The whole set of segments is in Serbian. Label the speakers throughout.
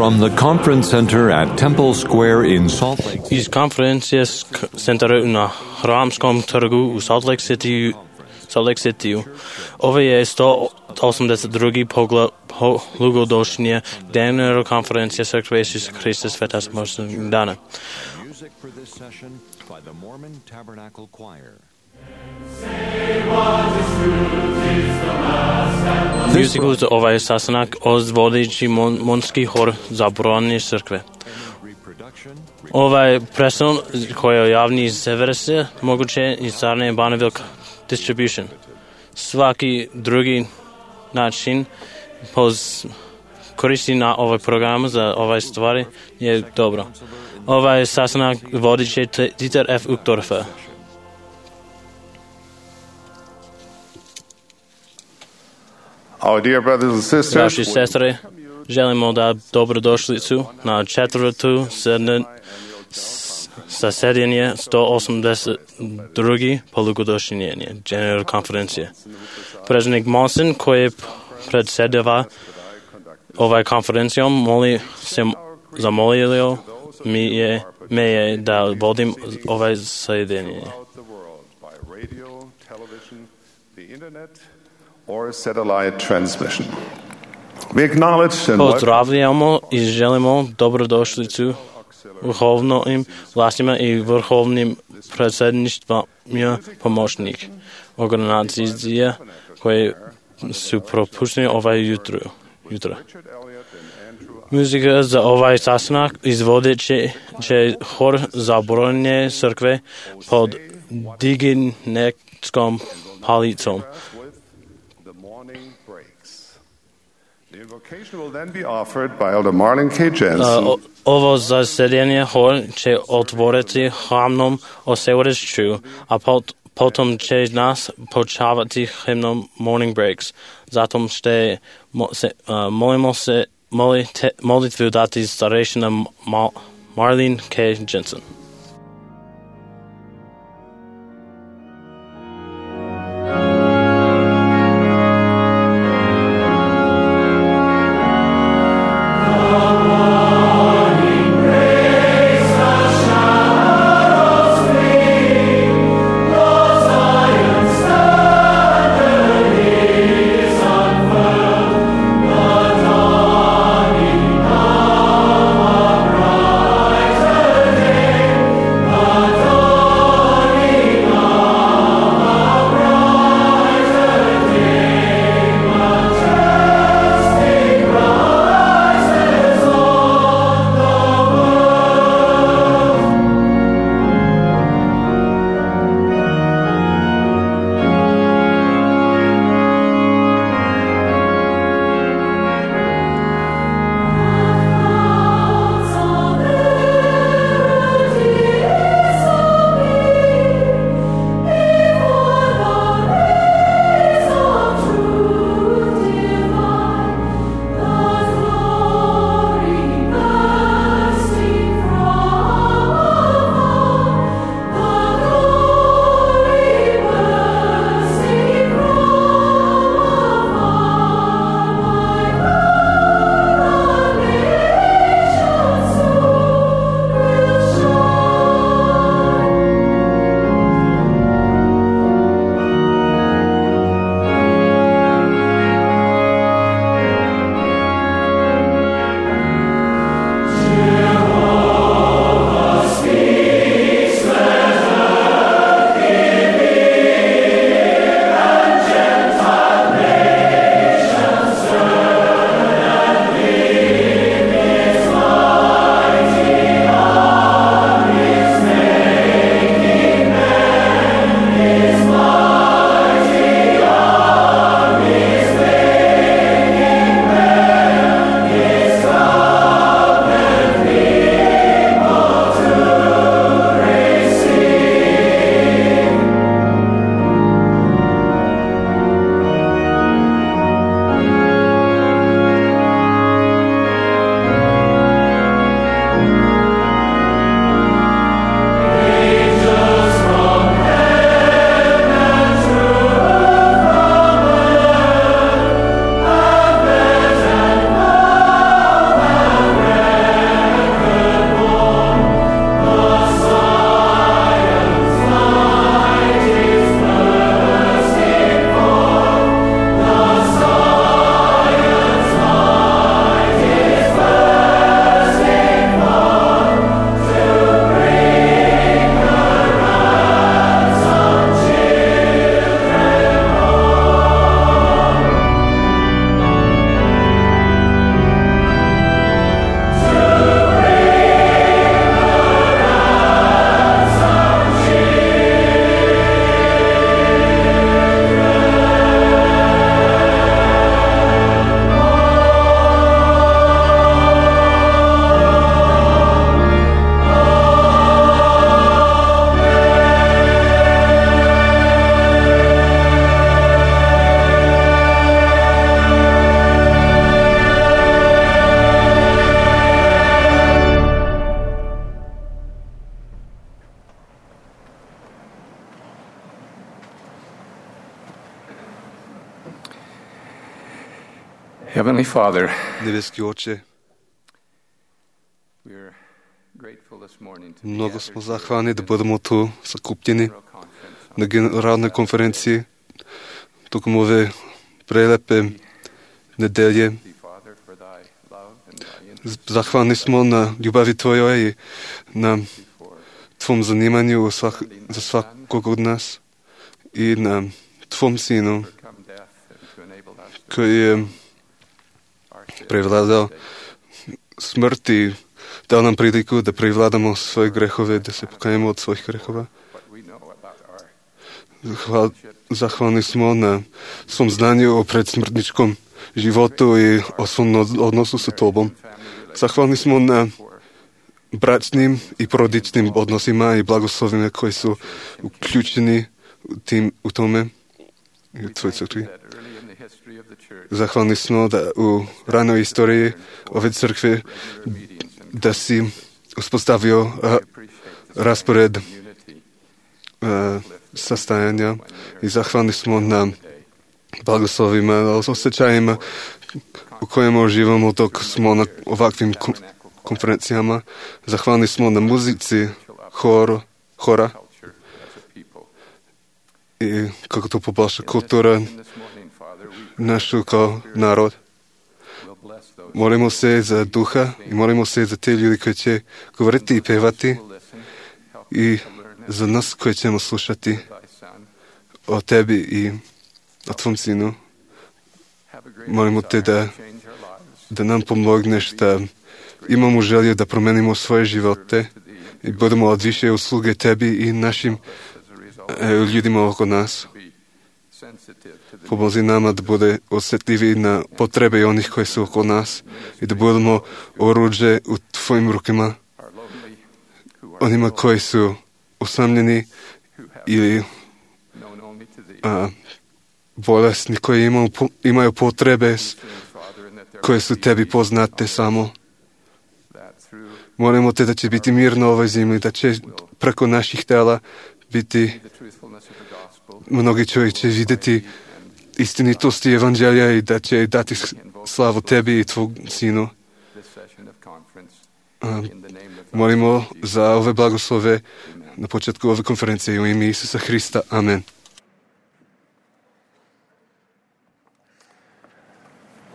Speaker 1: From the Conference Center at Temple Square in Salt Lake City.
Speaker 2: Iz konferences centra na Hramskom trgu u Salt Lake City. Ovo je 182. polugodišnje dnevna konferencija Crkve Isusa Hrista Sveta Samostalnog dana.
Speaker 3: Music for this session by the Mormon Tabernacle Choir.
Speaker 2: Muziku za ovaj sastanak ozvodići monski hor Zabronje crkve. Ovaj predstav koji je javni servis moguće i Sarne Bonneville Distribution. Svaki drugi način koristi na ovaj program za ovaj stvari je dobro. Ovaj sastanak vodit će Dieter F. Uchtdorfer.
Speaker 4: Our dear brothers and sisters,
Speaker 2: Naši sestre, želimo da dobrodošlicu na četvrtu zasedanje 182. polugodišnje generalne konferencije. Predsjednik Monson, koji predsjedava ovaj konferencijom, zamolio me je da vodim ovaj zasedanje.
Speaker 4: or satellite transmission. We acknowledge and
Speaker 2: Pozdravljamo i želimo dobrodošlicu vrhovnim vlastima i vrhovnim predsjedništvima pomoćnik organizacija koje su propuštene ovaj jutro. Muzika za ovaj sastanak izvodit će hor Zabronje crkve pod dignetskom palicom.
Speaker 4: The invocation will then be offered by Elder Marlon K. Jensen.
Speaker 2: Ovo zasedanje hor će otvoriti hramnom osvjedočenju, a potom će nas počavati hymnom Morning Breaks. Zatom će molitvu dati starešina Marlene K. Jensen.
Speaker 5: Heavenly Father,
Speaker 6: Nebeski Oče,
Speaker 5: we're grateful this morning to be
Speaker 6: много
Speaker 5: gathered
Speaker 6: сме
Speaker 5: here
Speaker 6: захвани да бъдем tu sakupljeni na generalnoj konferenciji tokom ove prelepe nedelje.
Speaker 5: thee, Father, for thy love and thy interest
Speaker 6: Zahvalni smo na ljubavi Tvojoj i na
Speaker 5: before
Speaker 6: Tvom zanimanju za svakog od nas i na Tvom Sinu
Speaker 5: overcome death and to enable us to
Speaker 6: koji je
Speaker 5: our sins.
Speaker 6: prevladao smrt i dao nam priliku da prevladamo svoje grehove, da se pokajemo od svojih grehova.
Speaker 5: What we know about our
Speaker 6: Zahvalni smo na svom znanju o predsmrtničkom životu i o svom odnosu sa Tobom. Zahvalni smo na bračnim i porodičnim odnosima i blagoslovima koji su uključeni u tome i u Tvojoj crkvi.
Speaker 5: that early in the history of the church,
Speaker 6: Zahvalni smo da u ranoj istoriji ove crkve da si uspostavio raspored
Speaker 5: unity,
Speaker 6: sastajanja i zahvalni smo na blagoslovima, osjećajima u kojima uživamo dok smo na ovakvim konferencijama. Zahvalni smo na muzici hora
Speaker 5: culture as a people.
Speaker 6: i kako to poboljša kultura
Speaker 5: This morning, Father, we
Speaker 6: našu kao narod.
Speaker 5: will bless those
Speaker 6: Molimo se za duha i molimo se za te ljudi koji će govoriti i pevati
Speaker 5: who listen. Help
Speaker 6: i
Speaker 5: us to learn
Speaker 6: za nas koji ćemo slušati
Speaker 5: thy Son.
Speaker 6: o Tebi i o Tvom Sinu.
Speaker 5: Have a great
Speaker 6: Molimo te
Speaker 5: desire
Speaker 6: da
Speaker 5: to change our lives.
Speaker 6: da nam pomogneš da imamo želju da promenimo svoje živote i budemo od više usluge Tebi i našim
Speaker 5: As a result,
Speaker 6: ljudima oko nas.
Speaker 5: be sensitive to the
Speaker 6: Pomozi nama da bude osjetljivi na potrebe onih koji su oko nas i da budemo oruđe u Tvojim rukama,
Speaker 5: are lonely, who are
Speaker 6: onima koji su usamljeni
Speaker 5: who have
Speaker 6: ili
Speaker 5: known only to thee.
Speaker 6: bolesni koji imaju potrebe
Speaker 5: Father, and that there
Speaker 6: koje su Tebi poznate samo.
Speaker 5: that through
Speaker 6: Molimo Te da će biti mir na ovoj zemlji, da će preko naših tela biti
Speaker 5: the truthfulness of the gospel
Speaker 6: mnogi čovjek će vidjeti istinitosti evanđelja i da će dati slavu Tebi i Tvog Sinu.
Speaker 5: this session of conference in the name of
Speaker 6: Molimo za ove blagoslove na početku ove konferencije u ime Isusa Hrista. Amen.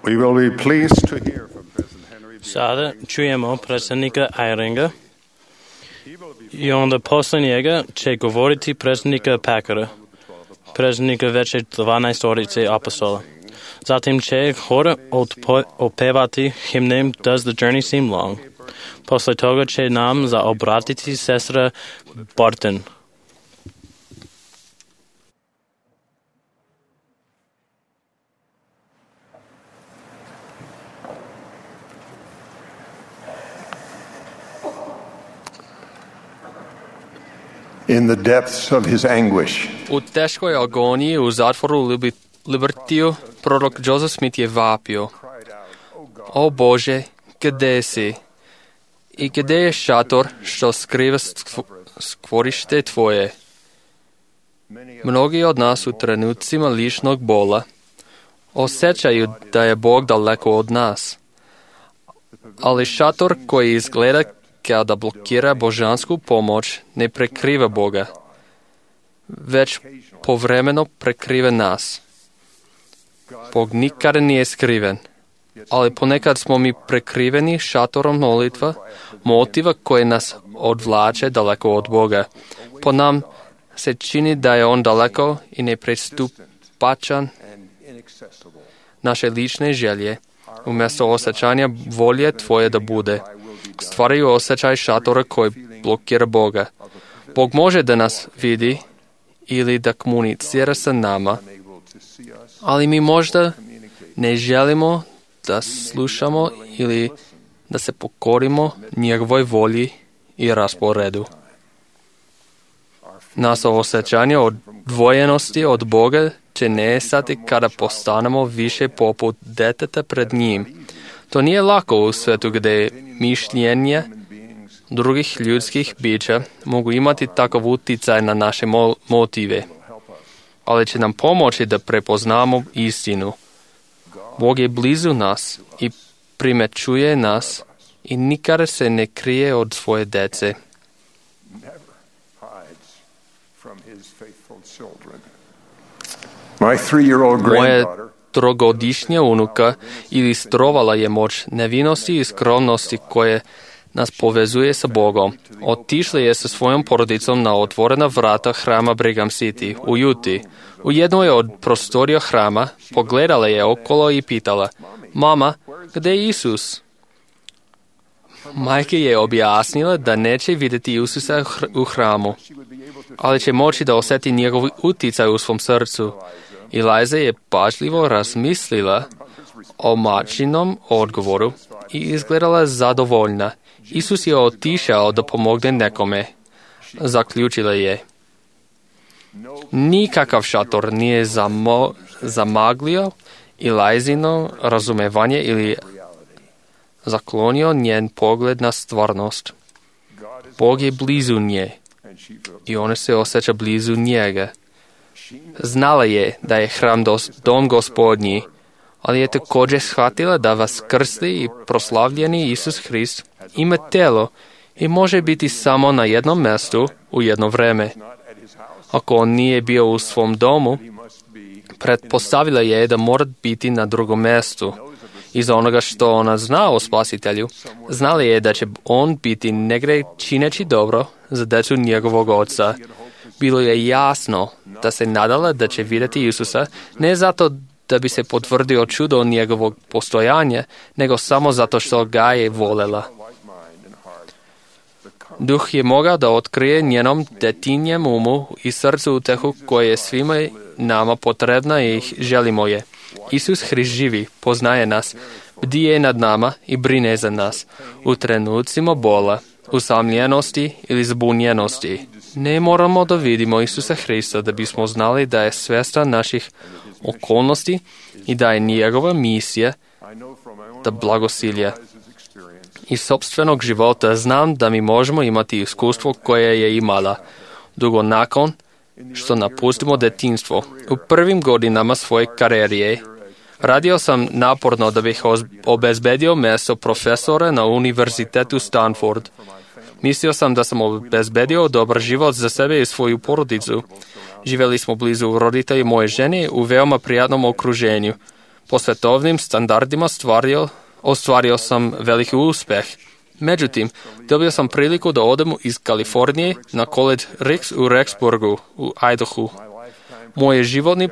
Speaker 4: We will be pleased to hear from President Henry B.
Speaker 2: Sada čujemo predsjednika Eyringa
Speaker 4: He will be
Speaker 2: i onda posle njega će govoriti predsjednika Packera, predsjednika veće 12 apostola. Zatim će hor opevati himnem Does the Journey Seem Long? Posle toga će nam zaobratiti sestra Barton.
Speaker 4: in the depths of his anguish.
Speaker 7: U teškoj agoniji u zatvoru Libertiju prorok Joseph Smith je vapio: O Bože, gde si? I gde je šator što skriva skvorište Tvoje? Mnogi od nas u trenucima ličnog bola osjećaju da je Bog daleko od nas. Ali šator koji izgleda kao da blokira božansku pomoć ne prekriva Boga, već povremeno prekriva nas. Bog nikada nije skriven, ali ponekad smo mi prekriveni šatorom molitva, motiva koje nas odvlače daleko od Boga. Po nam se čini da je On daleko i nepristupačan. Naše lične želje, umjesto osjećanja volje Tvoje da bude, stvaraju osjećaj šatora koji blokira Boga. Bog može da nas vidi ili da komunicira sa nama, ali mi možda ne želimo da slušamo ili da se pokorimo njegovoj volji i rasporedu. Naše osjećanje odvojenosti od Boga će nestati kada postanemo više poput deteta pred njim. To nije lako u svetu gdje mišljenje drugih ljudskih bića mogu imati takav utjecaj na naše motive, ali će nam pomoći da prepoznamo istinu. Bog je blizu nas i primećuje nas i nikada se ne krije od svoje dece. Moja trogodišnja unuka ilustrovala je moć nevinosti i skromnosti koje nas povezuje sa Bogom. Otišla je sa svojom porodicom na otvorena vrata hrama Brigham City u Utah. U jednoj od prostorija hrama pogledala je okolo i pitala: "Mama, gdje je Isus?" Majka je objasnila da neće vidjeti Isusa u hramu, ali će moći da osjeti njegov utjecaj u svom srcu. Eliza je pažljivo razmislila o majčinom odgovoru i izgledala zadovoljna. Isus je otišao da pomogne nekome. Zaključila je: nikakav šator nije zamaglio Elizino razumevanje ili zaklonio njen pogled na stvarnost. Bog je blizu nje i ona se osjeća blizu njega. Znala je da je hram dom Gospodnji, ali je također shvatila da vaskrsti i proslavljeni Isus Hrist ima telo i može biti samo na jednom mjestu u jedno vreme. Ako on nije bio u svom domu, pretpostavila je da mora biti na drugom mjestu. Iz onoga što ona zna o Spasitelju, znala je da će on biti negdje čineći dobro za djecu njegovog oca. Bilo je jasno da se nadala da će vidjeti Isusa, ne zato da bi se potvrdio čudo njegovog postojanja, nego samo zato što ga je voljela. Duh je mogao da otkrije njenom detinjem umu i srcu utehu koje je svima nama potrebna i želimo je. Isus Hrist živi, poznaje nas, bdije nad nama i brine za nas u trenucima bola, usamljenosti ili zbunjenosti. Ne moramo da vidimo Isusa Hrista da bismo znali da je svjestan naših okolnosti i da je njegova misija da blagosilje. Iz sopstvenog života znam da mi možemo imati iskustvo koje je imala. Dugo nakon što napustimo detinjstvo, u prvim godinama svoje karijere, radio sam naporno da bih obezbedio mjesto profesora na univerzitetu Stanford. Mislio sam da sam obezbedio dobar život za sebe i svoju porodicu. Živjeli smo blizu roditelji moje žene u veoma prijatnom okruženju. Po svetovnim standardima ostvario sam veliki uspjeh. Međutim, dobio sam priliku da odem iz Kalifornije na College Ricks u Rexburgu, u Idahu. Moji životni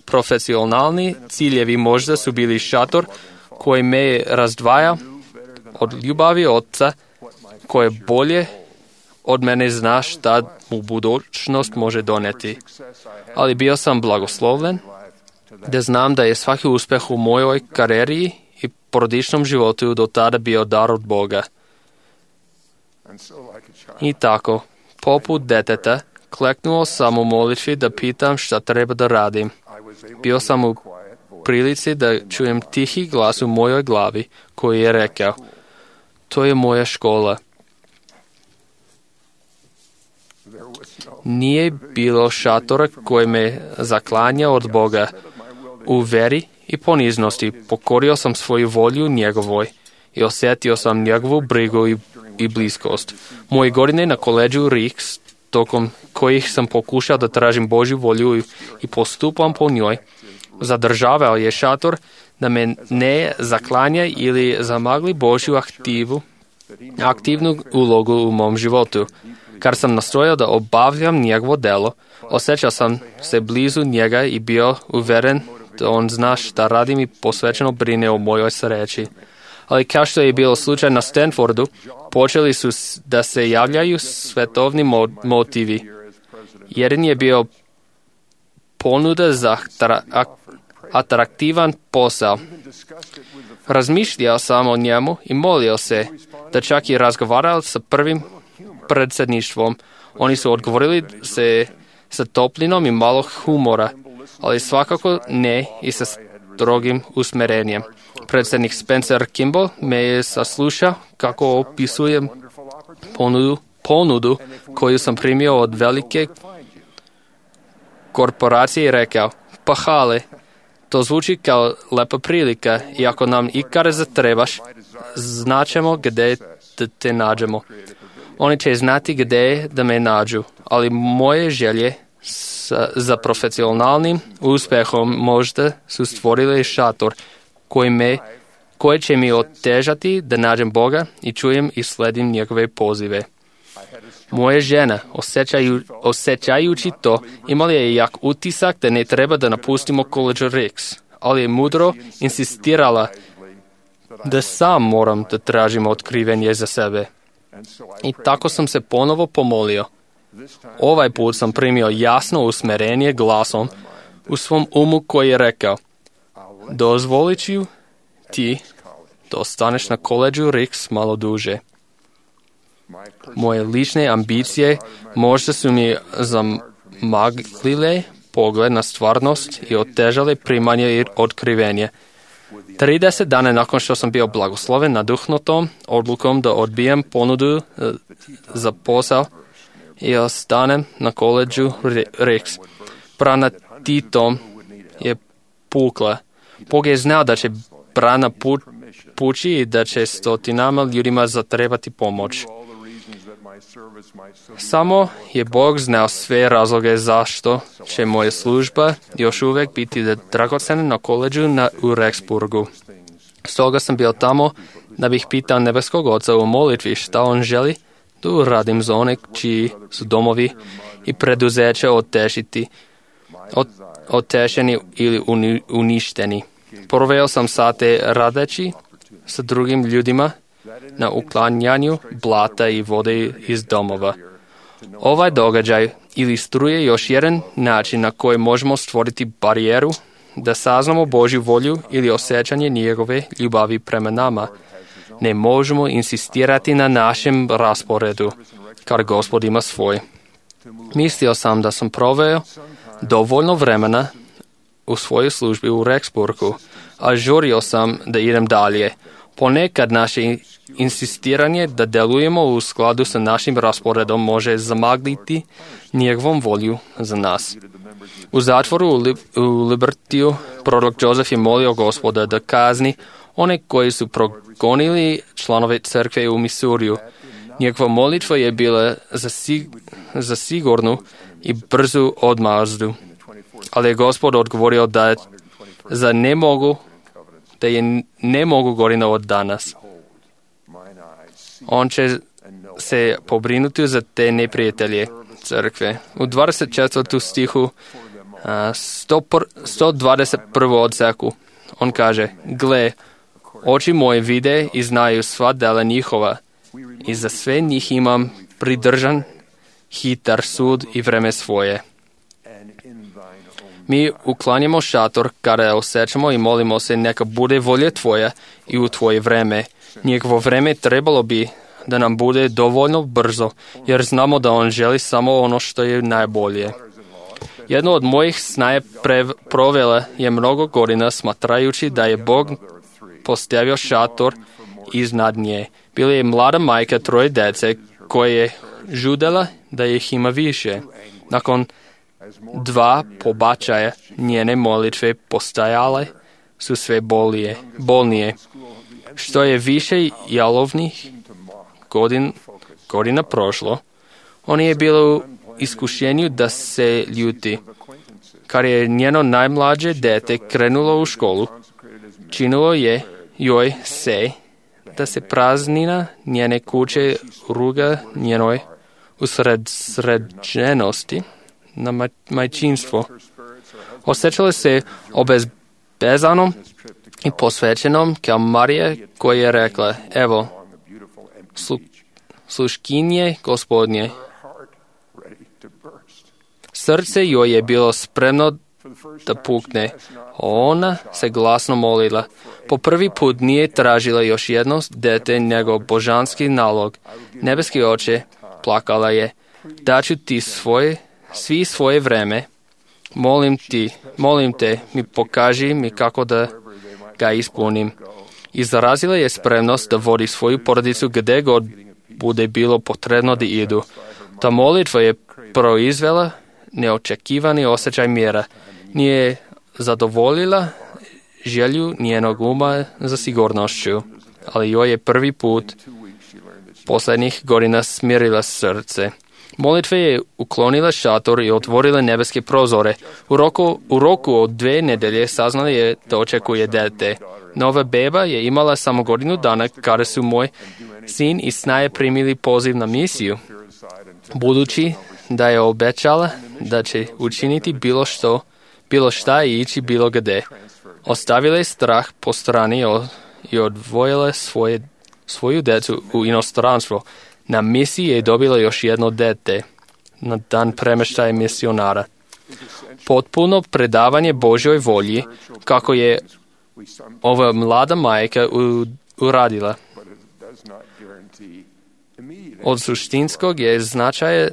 Speaker 7: profesionalni ciljevi možda su bili šator koji me razdvaja od ljubavi oca, koje bolje od mene zna šta mu budućnost može doneti. Ali bio sam blagoslovljen da znam da je svaki uspjeh u mojoj karijeri i porodičnom životu do tada bio dar od Boga. I tako, poput deteta, kleknuo sam u molitvi da pitam šta treba da radim. Bio sam u prilici da čujem tihi glas u mojoj glavi koji je rekao: to je moja škola. Nije bilo šatora koji me zaklanja od Boga. U veri i poniznosti pokorio sam svoju volju njegovoj i osjetio sam njegovu brigu i bliskost. Moje godine na koleđu Ricks, tokom kojih sam pokušao da tražim Božju volju i postupam po njoj, zadržavao je šator da me ne zaklanja ili zamagli Božju aktivnu ulogu u mom životu. Kad sam nastojao da obavljam njegovo delo, osjećao sam se blizu njega i bio uveren da on zna šta radim i posvećeno brine o mojoj sreći. Ali kao što je bilo slučaj na Stanfordu, počeli su da se javljaju svetovni motivi. Jedan je bio ponuda za atraktivan posao. Razmišljao sam o njemu i molio se, da čak i razgovarao sa prvim predsjedništvom. Oni su odgovorili se sa toplinom i malo humora, ali svakako ne i sa strogim usmjerenjem. Predsjednik Spencer Kimball me je saslušao kako opisujem ponudu koju sam primio od velike korporacije i rekao: pa hale, To zvuči kao lepa prilika i ako nam ikada zatrebaš, znaćemo gdje da te nađemo. Oni će znati gdje da me nađu, ali moje želje za profesionalnim uspjehom možda su stvorile šator koji će mi otežati da nađem Boga i čujem i sledim njegove pozive. Moja žena, osjećajući to, imala je jak utisak da ne treba da napustimo College Ricks, ali je mudro insistirala da sam moram da tražim otkrivenje za sebe. I tako sam se ponovo pomolio. Ovaj put sam primio jasno usmerenje glasom u svom umu koji je rekao: dozvolit ću ti da ostaneš na College Ricks malo duže. Moje lične ambicije možda su mi zamaglile pogled na stvarnost i otežale primanje i otkrivenje. 30 dana nakon što sam bio blagosloven naduhnutom odlukom da odbijem ponudu za posao i ostanem na College Ricks, brana Titom je pukla. Bog je znao da će brana pući i da će stotinama ljudima zatrebati pomoć. Samo je Bog znao sve razloge zašto će moja služba još uvijek biti dragocena na koleđu u Rexburgu. Stoga sam bio tamo da bih pitao nebeskog Oca u molitvi šta on želi da uradim za one čiji su domovi i preduzeća otešeni ili uništeni. Proveo sam sate radeći sa drugim ljudima na uklanjanju blata i vode iz domova. Ovaj događaj ilustruje još jedan način na koji možemo stvoriti barijeru da saznamo Božju volju ili osjećanje njegove ljubavi prema nama. Ne možemo insistirati na našem rasporedu, kad Gospod ima svoj. Mislio sam da sam proveo dovoljno vremena u svojoj službi u Rexburgu, a žurio sam da idem dalje. Ponekad naše insistiranje da delujemo u skladu sa našim rasporedom može zamagliti njegovom volju za nas. U zatvoru u Libertiju prorok Joseph je molio Gospoda da kazni one koji su progonili članove crkve u Misuriju. Njegova molitva je bila za sigurnu i brzu odmazdu. Ali je Gospod odgovorio da je ne mogu godina od danas. On će se pobrinuti za te neprijatelje crkve. U 24. stihu 121. odseku on kaže: gle, oči moje vide i znaju sva dela njihova i za sve njih imam pridržan hitar sud i vreme svoje. Mi uklanjamo šator kada osjećamo i molimo se neka bude volja tvoja i u tvoje vreme. Njegovo vreme trebalo bi da nam bude dovoljno brzo, jer znamo da on želi samo ono što je najbolje. Jedno od mojih snaje provela je mnogo godina smatrajući da je Bog postavio šator iznad nje. Bila je mlada majka 3 dece koja je žudela da ih ima više. Nakon 2 pobačaja njene molitve postajale su sve bolnije. Što je više jalovnih godina prošlo, on je bilo u iskušenju da se ljuti. Kad je njeno najmlađe dete krenulo u školu, činilo je joj se da se praznina njene kuće ruga njenoj usređenosti na majčinstvo. Osjećala se obezbezanom i posvećenom kao Marija koja je rekla: evo, sluškinje Gospodnje. Srce joj je bilo spremno da pukne. Ona se glasno molila. Po prvi put nije tražila još jedno dete nego božanski nalog. Nebeski Oče, plakala je: daću ti svi svoje vreme. Molim te, mi pokaži mi kako da ga ispunim. Izrazila je spremnost da vodi svoju porodicu gdje god bude bilo potrebno da idu. Ta molitva je proizvela neočekivani osjećaj mira. Nije zadovoljila želju njenog uma za sigurnošću, ali joj je prvi put posljednjih godina smirila srce. Molitve je uklonila šator i otvorila nebeske prozore. U roku od 2 nedelje saznala je da očekuje dete. Nova beba je imala samo godinu dana kada su moj sin i snaje primili poziv na misiju. Budući da je obećala da će učiniti bilo šta i ići bilo gde. Ostavila je strah po strani i odvojila svoju djecu u inostranstvo. Na misiji je dobila još jedno dete na dan premještaja misionara. Potpuno predavanje Božjoj volji, kako je ova mlada majka uradila. Od suštinskog je značaja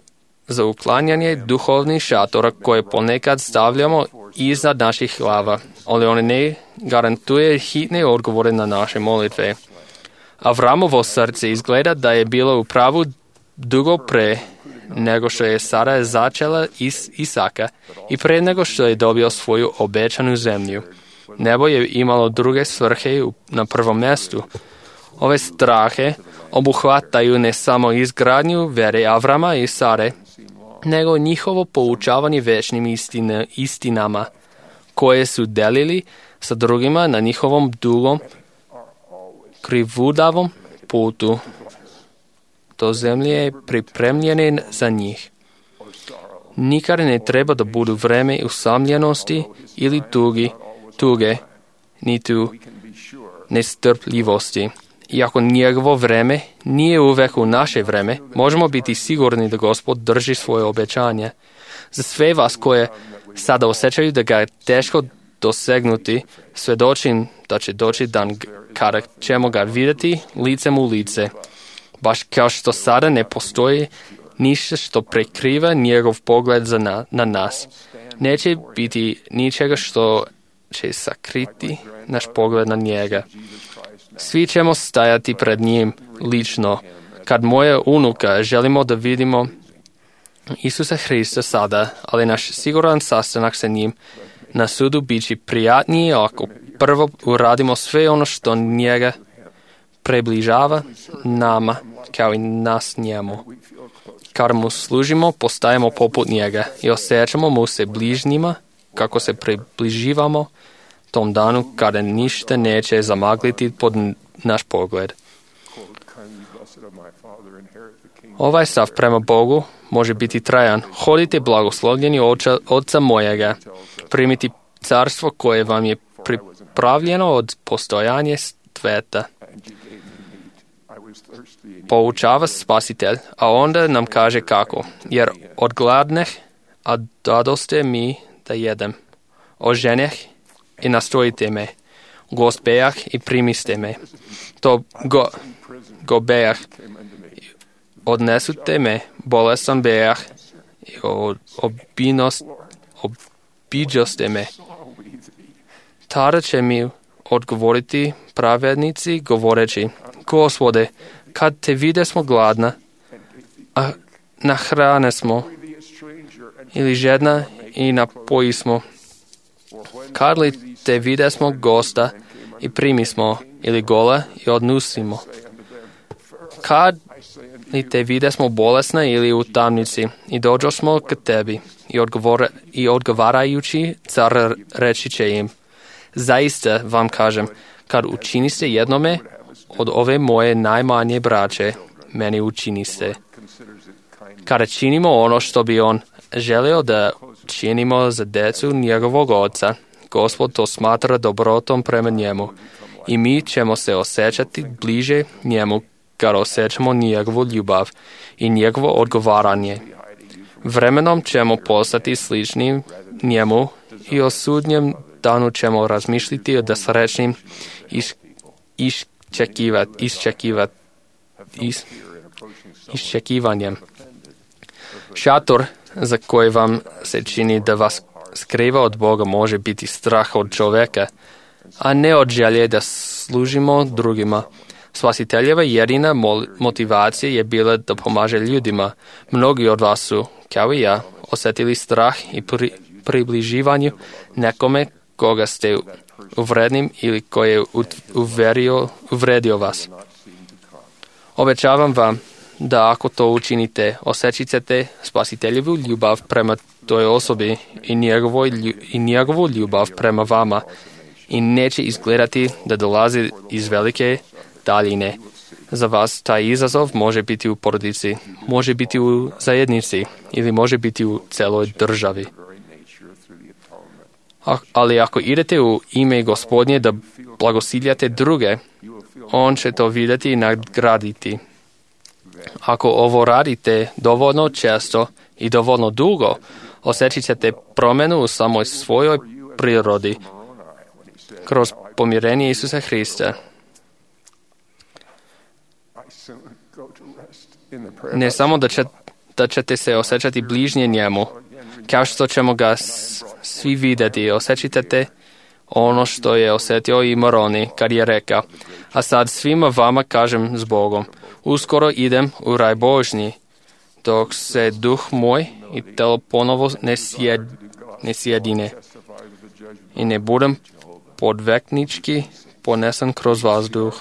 Speaker 7: za uklanjanje duhovnih šatora koje ponekad stavljamo iznad naših glava, ali on ne garantuje hitne odgovore na naše molitve. Avramovo srce izgleda da je bilo u pravu dugo pre nego što je Sara začela Isaka i pre nego što je dobio svoju obećanu zemlju. Nebo je imalo druge svrhe na prvom mjestu. Ove strahe obuhvataju ne samo izgradnju vere Avrama i Sare, nego njihovo poučavanje večnim istinama, koje su delili sa drugima na njihovom dugom, krivudavom putu. To zemlje je pripremljene za njih. Nikad ne treba da budu vreme usamljenosti ili tuge, niti nestrpljivosti. Iako njegovo vreme nije uvek u naše vreme, možemo biti sigurni da Gospod drži svoje obećanje. Za sve vas koje sada osjećaju da ga je teško dosegnuti, svedočim da će doći dan kada ćemo ga vidjeti licem u lice. Baš kao što sada ne postoji ništa što prekriva njegov pogled na nas. Neće biti ničega što će sakriti naš pogled na njega. Svi ćemo stajati pred njim lično. Kad moja unuka želimo da vidimo Isusa Hrista sada, ali naš siguran sastanak sa njim na sudu bit će prijatniji ako prvo uradimo sve ono što njega približava nama, kao i nas njemu. Kad mu služimo, postajemo poput njega i osjećamo mu se bližnjima kako se približivamo tom danu kada ništa neće zamagliti pod naš pogled. Ovaj stav prema Bogu može biti trajan. Hodite blagoslovljeni Oca mojega, primiti carstvo koje vam je pripravljeno od postojanja sveta. Poučava Spasitelj, a onda nam kaže kako. Jer odgladneh, a dadoste mi da jedem. Oženeh i nastojite me. Gospejah i primiste me. To gobejah. Odnesute me, bolestan bejah i obiđoste me. Tada će mi odgovoriti pravednici govoreći: Gospode, kad te vide smo gladna, a nahrane smo, ili žedna i napoji smo. Kad li te vide smo gosta i primi smo, ili gola i odnusimo. Kad li te vide smo bolesna ili u tamnici i dođo smo k tebi i odgovarajući car reći će im: Zaista vam kažem, kad učiniste jednome od ove moje najmanje braće, meni učiniste. Kada činimo ono što bi on želio da činimo za djecu njegovog oca, Gospod to smatra dobrotom prema njemu i mi ćemo se osjećati bliže njemu kad osjećamo njegovu ljubav i njegovo odgovaranje. Vremenom ćemo postati slični njemu i o sudnjem danu ćemo razmišljati o srećnim iščekivanjem. Šator za koji vam se čini da vas skriva od Boga može biti strah od čovjeka, a ne od želje da služimo drugima. Spasiteljeva jedina motivacija je bila da pomaže ljudima. Mnogi od vas su, kao i ja, osjetili strah i približivanju nekome koga ste uvrednim ili koji je uvredio vas. Obećavam vam da ako to učinite, osjećat ćete spasiteljevu ljubav prema toj osobi i njegovu ljubav prema vama i neće izgledati da dolazi iz velike daljine. Za vas taj izazov može biti u porodici, može biti u zajednici ili može biti u celoj državi. Ali ako idete u ime Gospodnje da blagosiljate druge, on će to vidjeti i nagraditi. Ako ovo radite dovoljno često i dovoljno dugo, osjećat ćete promjenu u samoj svojoj prirodi kroz pomirenje Isusa Hrista. Ne samo da ćete se osjećati bližnje njemu, kao što ćemo ga svi vidjeti, osjećate ono što je osjetio i Moroni kad je rekao, a sad svima vama kažem s Bogom, uskoro idem u raj Božji, dok se duh moj i telo ponovo ne sjedine i ne budem podveknički ponesen kroz vazduh.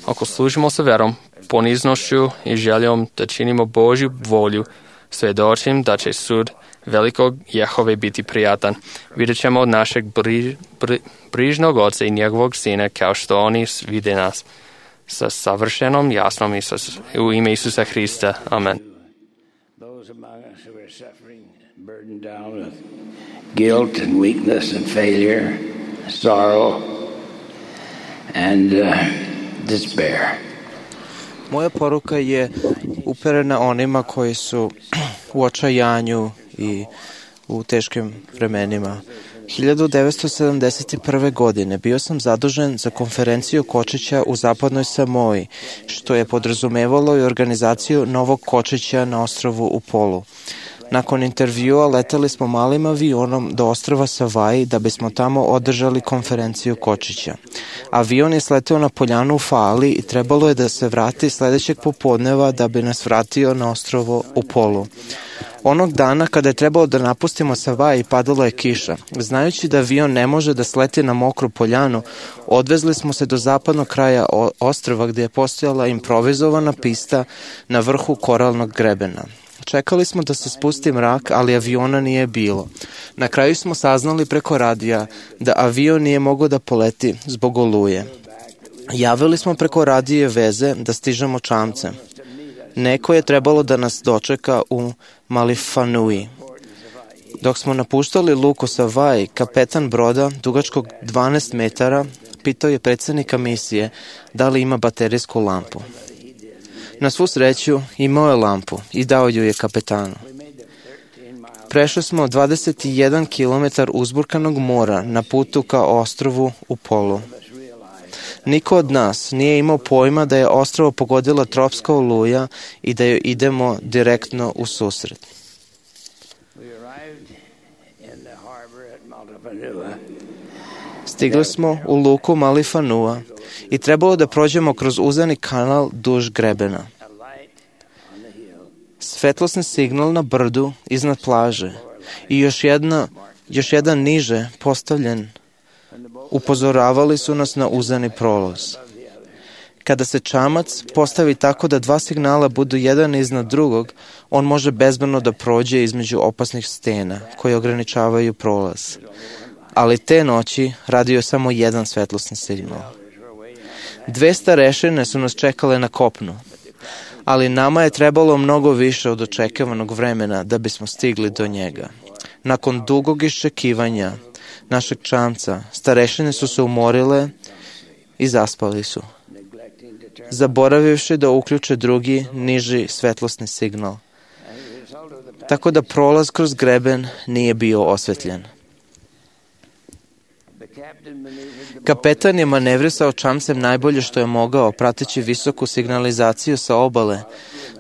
Speaker 7: Ako služimo sa verom, poniznošću i željom da činimo Božju volju, svjedočim da će sud velikog Jehove biti prijatan. Vidjet ćemo od našeg brižnog Oca i njegovog Sina kao što oni vide nas. Sa savršenom jasnom u ime Isusa Hrista. Amen.
Speaker 8: Guilt and weakness and failure, sorrow and despair.
Speaker 9: Moja poruka je uperena onima koji su u očajanju i u teškim vremenima. 1971. godine bio sam zadužen za konferenciju kočića u zapadnoj Samoji, što je podrazumevalo i organizaciju novog kočića na ostrvu Upolu. Nakon intervjua leteli smo malim avionom do ostrva Savaji da bismo tamo održali konferenciju kočića. Avion je sleteo na poljanu u Fali i trebalo je da se vrati sledećeg popodneva da bi nas vratio na ostrvo Upolu. Onog dana kada je trebalo da napustimo Savaji padala je kiša. Znajući da avion ne može da sleti na mokru poljanu, odvezli smo se do zapadnog kraja ostrva gdje je postojala improvizovana pista na vrhu koralnog grebena. Čekali smo da se spusti mrak, ali aviona nije bilo. Na kraju smo saznali preko radija da avion nije mogao da poleti zbog oluje. Javili smo preko radije veze da stižemo čamcem. Neko je trebalo da nas dočeka u Malifanui. Dok smo napuštali luku Savaji, kapetan broda, dugačkog 12 metara, pitao je predsjednika misije da li ima baterijsku lampu. Na svu sreću imao je lampu i dao ju je kapetanu. Prešli smo 21 km uzburkanog mora na putu ka ostrvu Upolu. Niko od nas nije imao pojma da je ostrvo pogodila tropska oluja i da joj idemo direktno u susret. Stigli smo u luku Malifanua i trebalo da prođemo kroz uzani kanal duž grebena. Svetlosni signal na brdu iznad plaže i još jedan niže postavljen upozoravali su nas na uzani prolaz. Kada se čamac postavi tako da dva signala budu jedan iznad drugog, on može bezbedno da prođe između opasnih stena koje ograničavaju prolaz. Ali te noći radio je samo jedan svetlosni signal. 2 starešine su nas čekale na kopnu, ali nama je trebalo mnogo više od očekivanog vremena da bismo stigli do njega. Nakon dugog iščekivanja našeg čamca, starešine su se umorile i zaspali su, zaboravivši da uključe drugi, niži svetlosni signal. Tako da prolaz kroz greben nije bio osvetljen. Kapetan je manevrisao čamcem najbolje što je mogao, prateći visoku signalizaciju sa obale,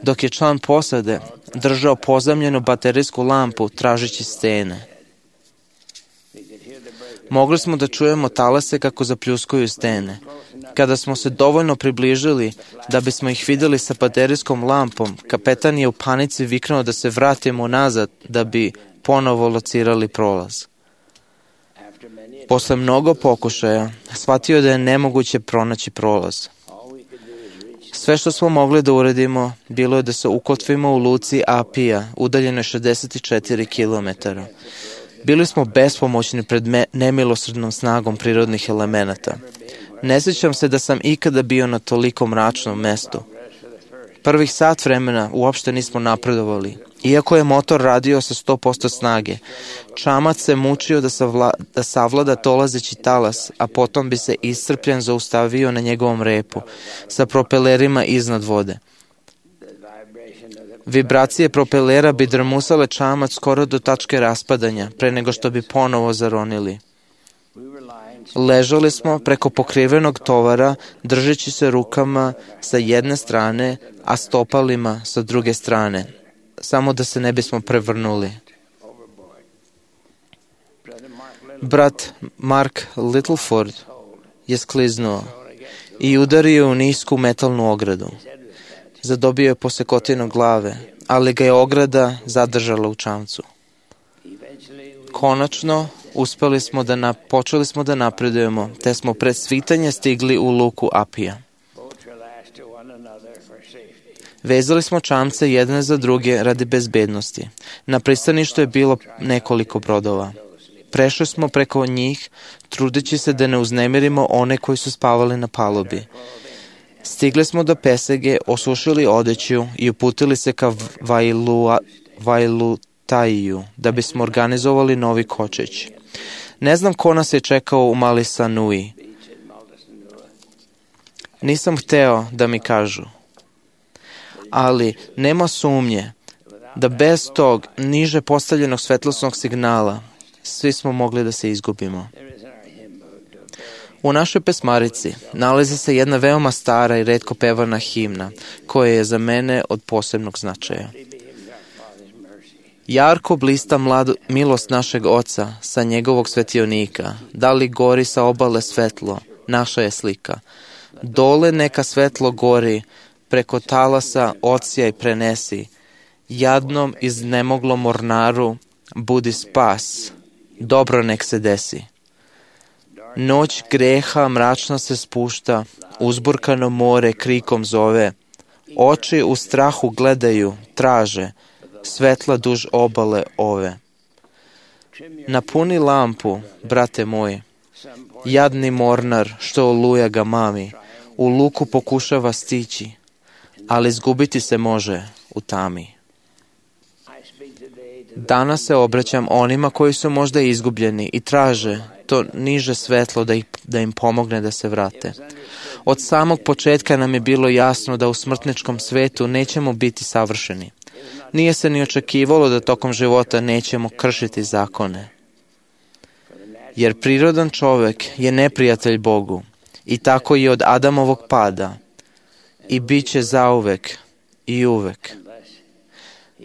Speaker 9: dok je član posade držao pozamljenu baterijsku lampu tražeći stene. Mogli smo da čujemo talase kako zapljuskuju stene. Kada smo se dovoljno približili da bismo ih videli sa baterijskom lampom, kapetan je u panici viknuo da se vratimo nazad da bi ponovo locirali prolaz. Posle mnogo pokušaja, shvatio da je nemoguće pronaći prolaz. Sve što smo mogli da uradimo bilo je da se ukotvimo u luci Apija, udaljenoj 64 km. Bili smo bespomoćni pred nemilosrdnom snagom prirodnih elemenata. Ne sjećam se da sam ikada bio na toliko mračnom mestu. Prvih sat vremena uopšte nismo napredovali. Iako je motor radio sa 100% snage, čamac se mučio da savlada dolazeći talas, a potom bi se iscrpljen zaustavio na njegovom repu, sa propelerima iznad vode. Vibracije propelera bi drmusale čamac skoro do tačke raspadanja, pre nego što bi ponovo zaronili. Ležali smo preko pokrivenog tovara, držeći se rukama sa jedne strane, a stopalima sa druge strane, samo da se ne bismo prevrnuli. Brat Mark Littleford je skliznuo i udario u nisku metalnu ogradu. Zadobio je posekotinu glave, ali ga je ograda zadržala u čamcu. Konačno, počeli smo da napredujemo, te smo pred svitanje stigli u luku Apija. Vezali smo čamce jedne za druge radi bezbednosti. Na pristaništu je bilo nekoliko brodova. Prešli smo preko njih, trudeći se da ne uznemirimo one koji su spavali na palubi. Stigli smo do pesege, osušili odeću i uputili se ka Vailutaiju, da bismo organizovali novi kočić. Ne znam ko nas je čekao u Mali Sanui. Nisam hteo da mi kažu. Ali nema sumnje da bez tog niže postavljenog svetlosnog signala svi smo mogli da se izgubimo. U našoj pesmarici nalazi se jedna veoma stara i retko pevana himna, koja je za mene od posebnog značaja. Jarko blista milost našeg Oca sa njegovog svetionika, da li gori sa obale svetlo, naša je slika. Dole neka svetlo gori, preko talasa odsjaj prenesi, jadnom iznemoglom mornaru budi spas, dobro nek se desi. Noć greha mračna se spušta, uzburkano more krikom zove, oči u strahu gledaju, traže, svetla duž obale ove. Napuni lampu, brate moji, jadni mornar što oluja ga mami, u luku pokušava stići, ali izgubiti se može u tami. Danas se obraćam onima koji su možda izgubljeni i traže to niže svetlo da im pomogne da se vrate. Od samog početka nam je bilo jasno da u smrtničkom svetu nećemo biti savršeni. Nije se ni očekivalo da tokom života nećemo kršiti zakone. Jer prirodan čovek je neprijatelj Bogu i tako i od Adamovog pada i bit će zauvek i uvek.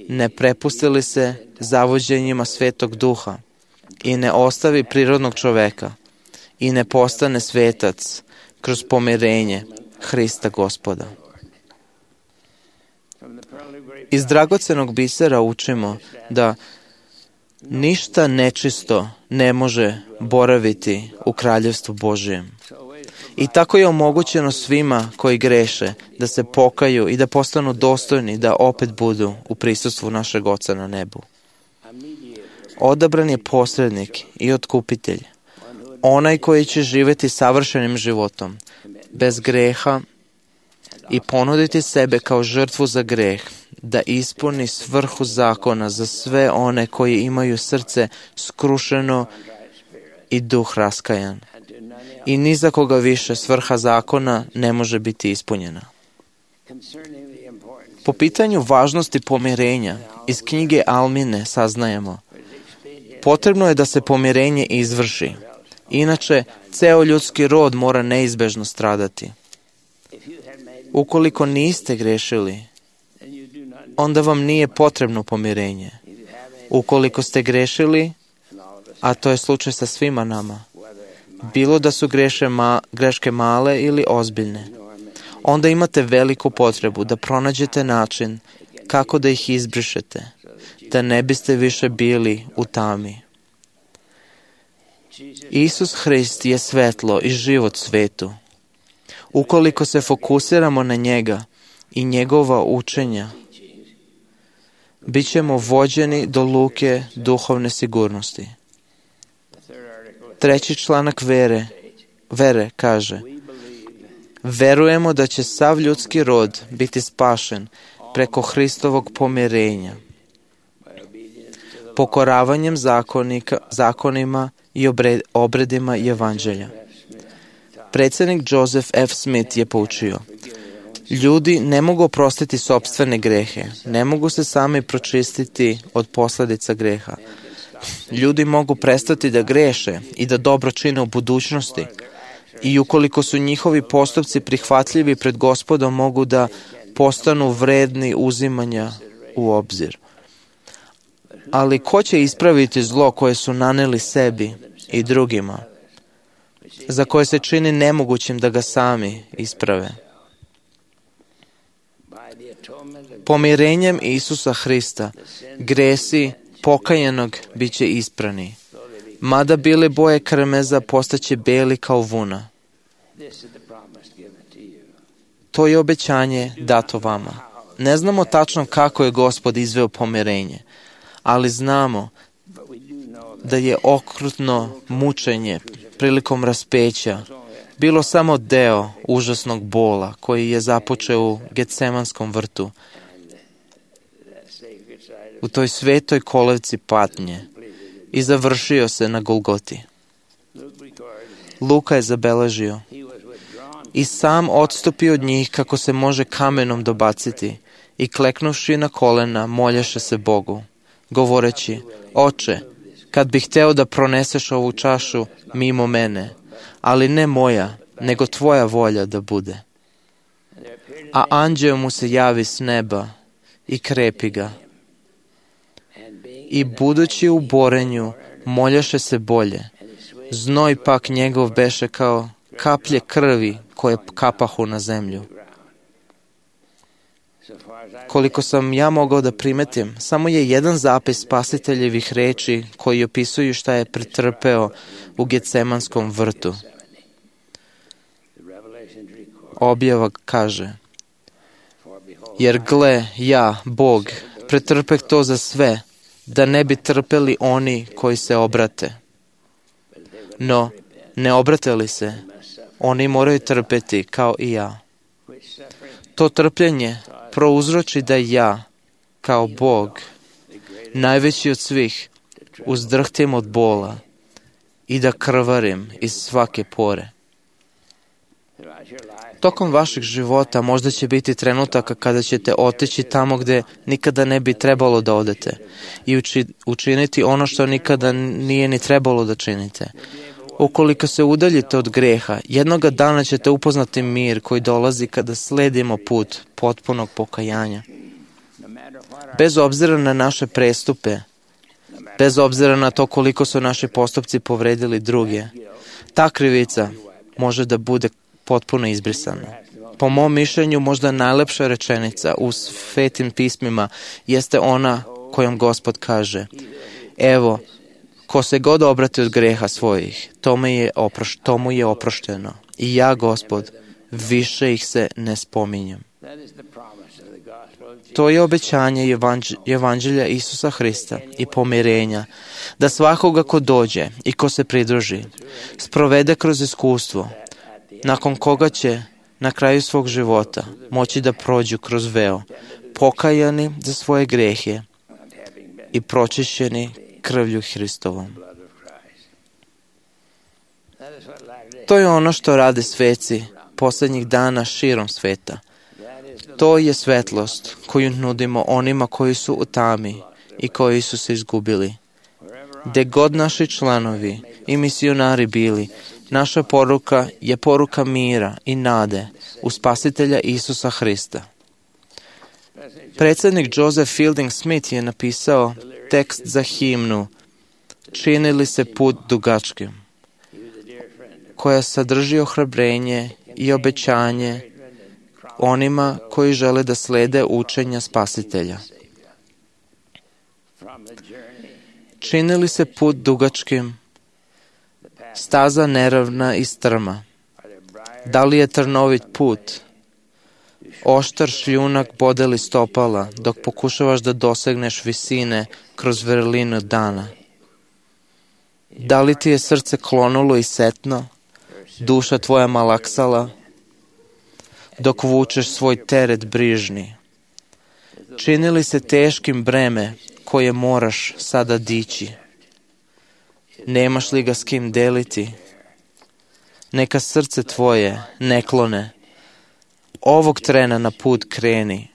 Speaker 9: Ne prepustili se zavođenjima Svetog Duha i ne ostavi prirodnog čoveka i ne postane svetac kroz pomirenje Hrista Gospoda. Iz dragocenog bisera učimo da ništa nečisto ne može boraviti u kraljevstvu Božijem. I tako je omogućeno svima koji greše da se pokaju i da postanu dostojni da opet budu u prisustvu našeg Oca na nebu. Odabran je posrednik i otkupitelj, onaj koji će živjeti savršenim životom, bez greha i ponuditi sebe kao žrtvu za greh, da ispuni svrhu zakona za sve one koji imaju srce skrušeno i duh raskajan. I ni za koga više svrha zakona ne može biti ispunjena. Po pitanju važnosti pomirenja, iz knjige Almine saznajemo: potrebno je da se pomirenje izvrši, inače ceo ljudski rod mora neizbežno stradati. Ukoliko niste grešili, onda vam nije potrebno pomirenje. Ukoliko ste grešili, a to je slučaj sa svima nama, bilo da su greške male ili ozbiljne, onda imate veliku potrebu da pronađete način kako da ih izbrišete, da ne biste više bili u tami. Isus Hrist je svetlo i život svetu. Ukoliko se fokusiramo na njega i njegova učenja, bit ćemo vođeni do luke duhovne sigurnosti. 3. članak vere kaže: verujemo da će sav ljudski rod biti spašen preko Hristovog pomirenja, pokoravanjem zakonima i obredima evanđelja. Predsjednik Joseph F. Smith je poučio: ljudi ne mogu oprostiti sopstvene grehe, ne mogu se sami pročistiti od posljedica greha. Ljudi mogu prestati da greše i da dobro čine u budućnosti, i ukoliko su njihovi postupci prihvatljivi pred Gospodom, mogu da postanu vredni uzimanja u obzir. Ali ko će ispraviti zlo koje su naneli sebi i drugima, za koje se čini nemogućim da ga sami isprave? Pomirenjem Isusa Hrista gresi pokajanog bit će isprani, mada bile boje krmeza postaće beli kao vuna. To je obećanje dato vama. Ne znamo tačno kako je Gospod izveo pomirenje, ali znamo da je okrutno mučenje prilikom raspeća bilo samo deo užasnog bola koji je započeo u Getsemanskom vrtu, u toj svetoj kolevci patnje, i završio se na Golgoti. Luka je zabeležio: i sam odstupio od njih kako se može kamenom dobaciti, i kleknuvši na kolena molješe se Bogu, govoreći: Oče, kad bih hteo da proneseš ovu čašu mimo mene, ali ne moja, nego tvoja volja da bude. A anđeo mu se javi s neba i krepi ga. I budući u borenju, moljaše se bolje. Znoj pak njegov beše kao kaplje krvi koje kapahu na zemlju. Koliko sam ja mogao da primetim, samo je jedan zapis spasiteljevih reči koji opisuju šta je pretrpeo u Getsemanskom vrtu. Objava kaže: jer gle, ja, Bog, pretrpeh to za sve, da ne bi trpeli oni koji se obrate. No, ne obrate li se, oni moraju trpeti kao i ja. To trpljenje prouzroči da ja, kao Bog, najveći od svih, uzdrhtim od bola i da krvarim iz svake pore. Tokom vašeg života možda će biti trenutaka kada ćete otići tamo gde nikada ne bi trebalo da odete i učiniti ono što nikada nije ni trebalo da činite. Ukoliko se udaljite od greha, jednoga dana ćete upoznati mir koji dolazi kada sledimo put potpunog pokajanja. Bez obzira na naše prestupe, bez obzira na to koliko su naši postupci povredili druge, ta krivica može da bude potpuno izbrisana. Po mom mišljenju, možda najlepša rečenica u svetim pismima jeste ona kojom Gospod kaže: evo, ko se god obrati od greha svojih, to mu je oprošteno. I ja, Gospod, više ih se ne spominjem. To je obećanje evanđelja Isusa Hrista i pomirenja, da svakoga ko dođe i ko se pridruži, sprovede kroz iskustvo, nakon koga će na kraju svog života moći da prođu kroz veo, pokajani za svoje grehe i pročišćeni krvlju Hristovom. To je ono što rade sveci posljednjih dana širom sveta. To je svetlost koju nudimo onima koji su u tami i koji su se izgubili. Gde god naši članovi i misionari bili, naša poruka je poruka mira i nade u Spasitelja Isusa Hrista. Predsjednik Joseph Fielding Smith je napisao tekst za himnu "Čini li se put dugačkim", koja sadrži ohrabrenje i obećanje onima koji žele da slede učenja Spasitelja. Čini li se put dugačkim, staza neravna i strma? Da li je trnovit put? Oštar šljunak bode li stopala dok pokušavaš da dosegneš visine kroz vrelinu dana? Da li ti je srce klonulo i setno, duša tvoja malaksala, dok vučeš svoj teret brižni? Čini li se teškim breme koje moraš sada dići? Nemaš li ga s kim deliti? Neka srce tvoje ne klone. Ovog trena na put kreni.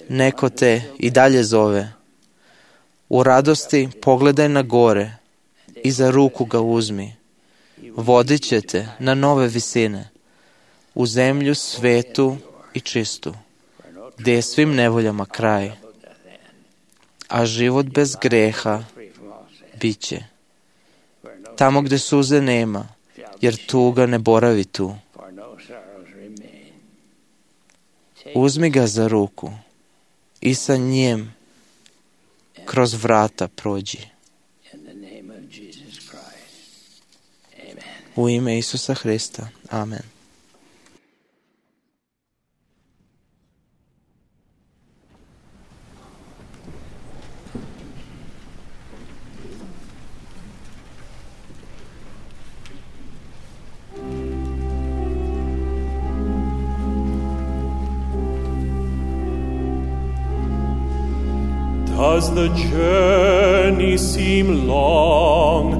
Speaker 9: Neko te i dalje zove. U radosti pogledaj na gore i za ruku ga uzmi. Vodit će te na nove visine, u zemlju svetu i čistu, gdje je svim nevoljama kraj, a život bez greha bit će. Tamo gdje suze nema, jer tuga ne boravi tu. Uzmi ga za ruku i sa njim kroz vrata prođi. U ime Isusa Hrista. Amen.
Speaker 10: Does the journey seem long,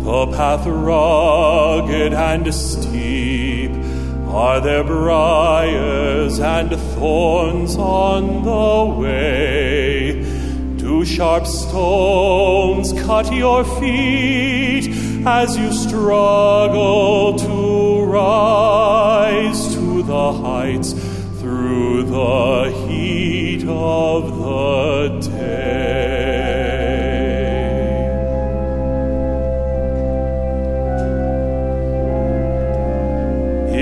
Speaker 10: the path rugged and steep? Are there briars and thorns on the way? Do sharp stones cut your feet as you struggle to rise to the heights through the heat of the day?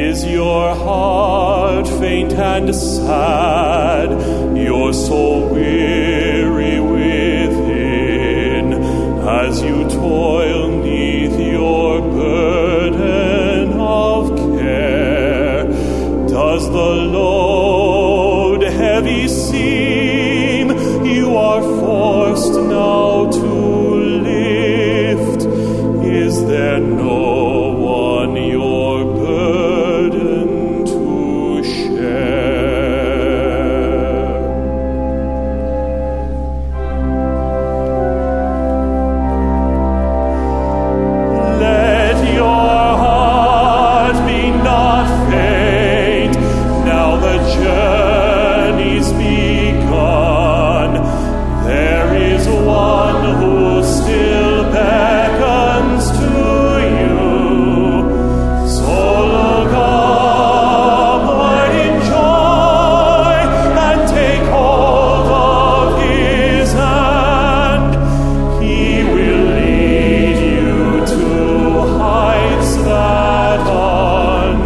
Speaker 10: Is your heart faint and sad, your soul weary within, as you toil neath your burden of care? Does the load heavy seem you are forced now to lift? Is there no one your burden to share? Let your heart be not faint, now the journey's begun. There is one who still beckons to you. So look upward in joy and take hold of his hand. He will lead you to heights that are new.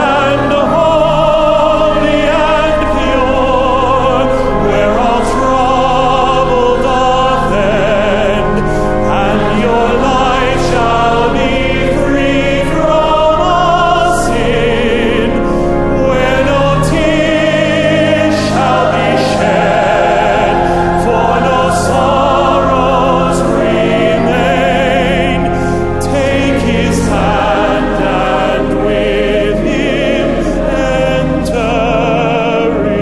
Speaker 10: Land holy and pure, where all trouble doth end, and your life shall be free from all sin, where no tears shall be shed, for no sorrows remain. Take his hand and with him enter in.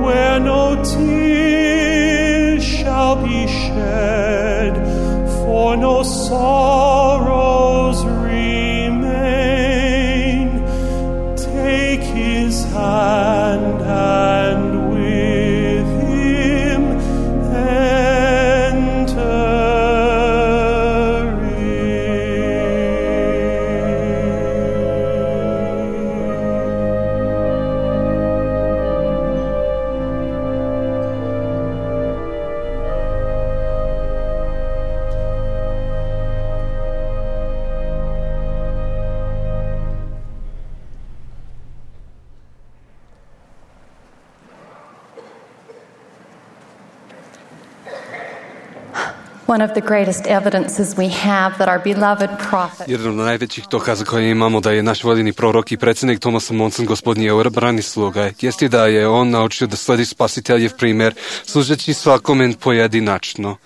Speaker 10: Where no tears shall be shed, for no sorrows remain. Take his hand and with him enter
Speaker 11: One of the greatest evidences we have that our beloved prophet
Speaker 6: Jedan od najvećih dokaza koje imamo da je naš voljeni prorok i predsjednik Thomas Monson, gospodin odabrani sluga, jeste da je on naučio da sledi spasiteljev primjer, služeći svakome pojedinačno.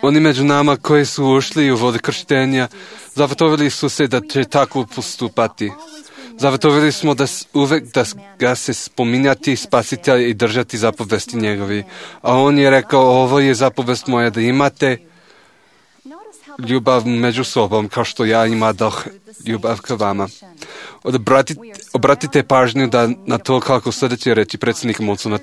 Speaker 6: Oni među nama koji su ušli u vode krštenja, zavatovili su se da će tako postupati. Zavatovili smo da uvek da ga se spominjati spasitelj i držati zapovesti njegovi. A on je rekao, ovo je zapovest moja, da imate ljubav među sobom, kao što ja imadoh ljubav ka vama. Obratite pažnju na to kako sljedeće reći predsjednik Monsona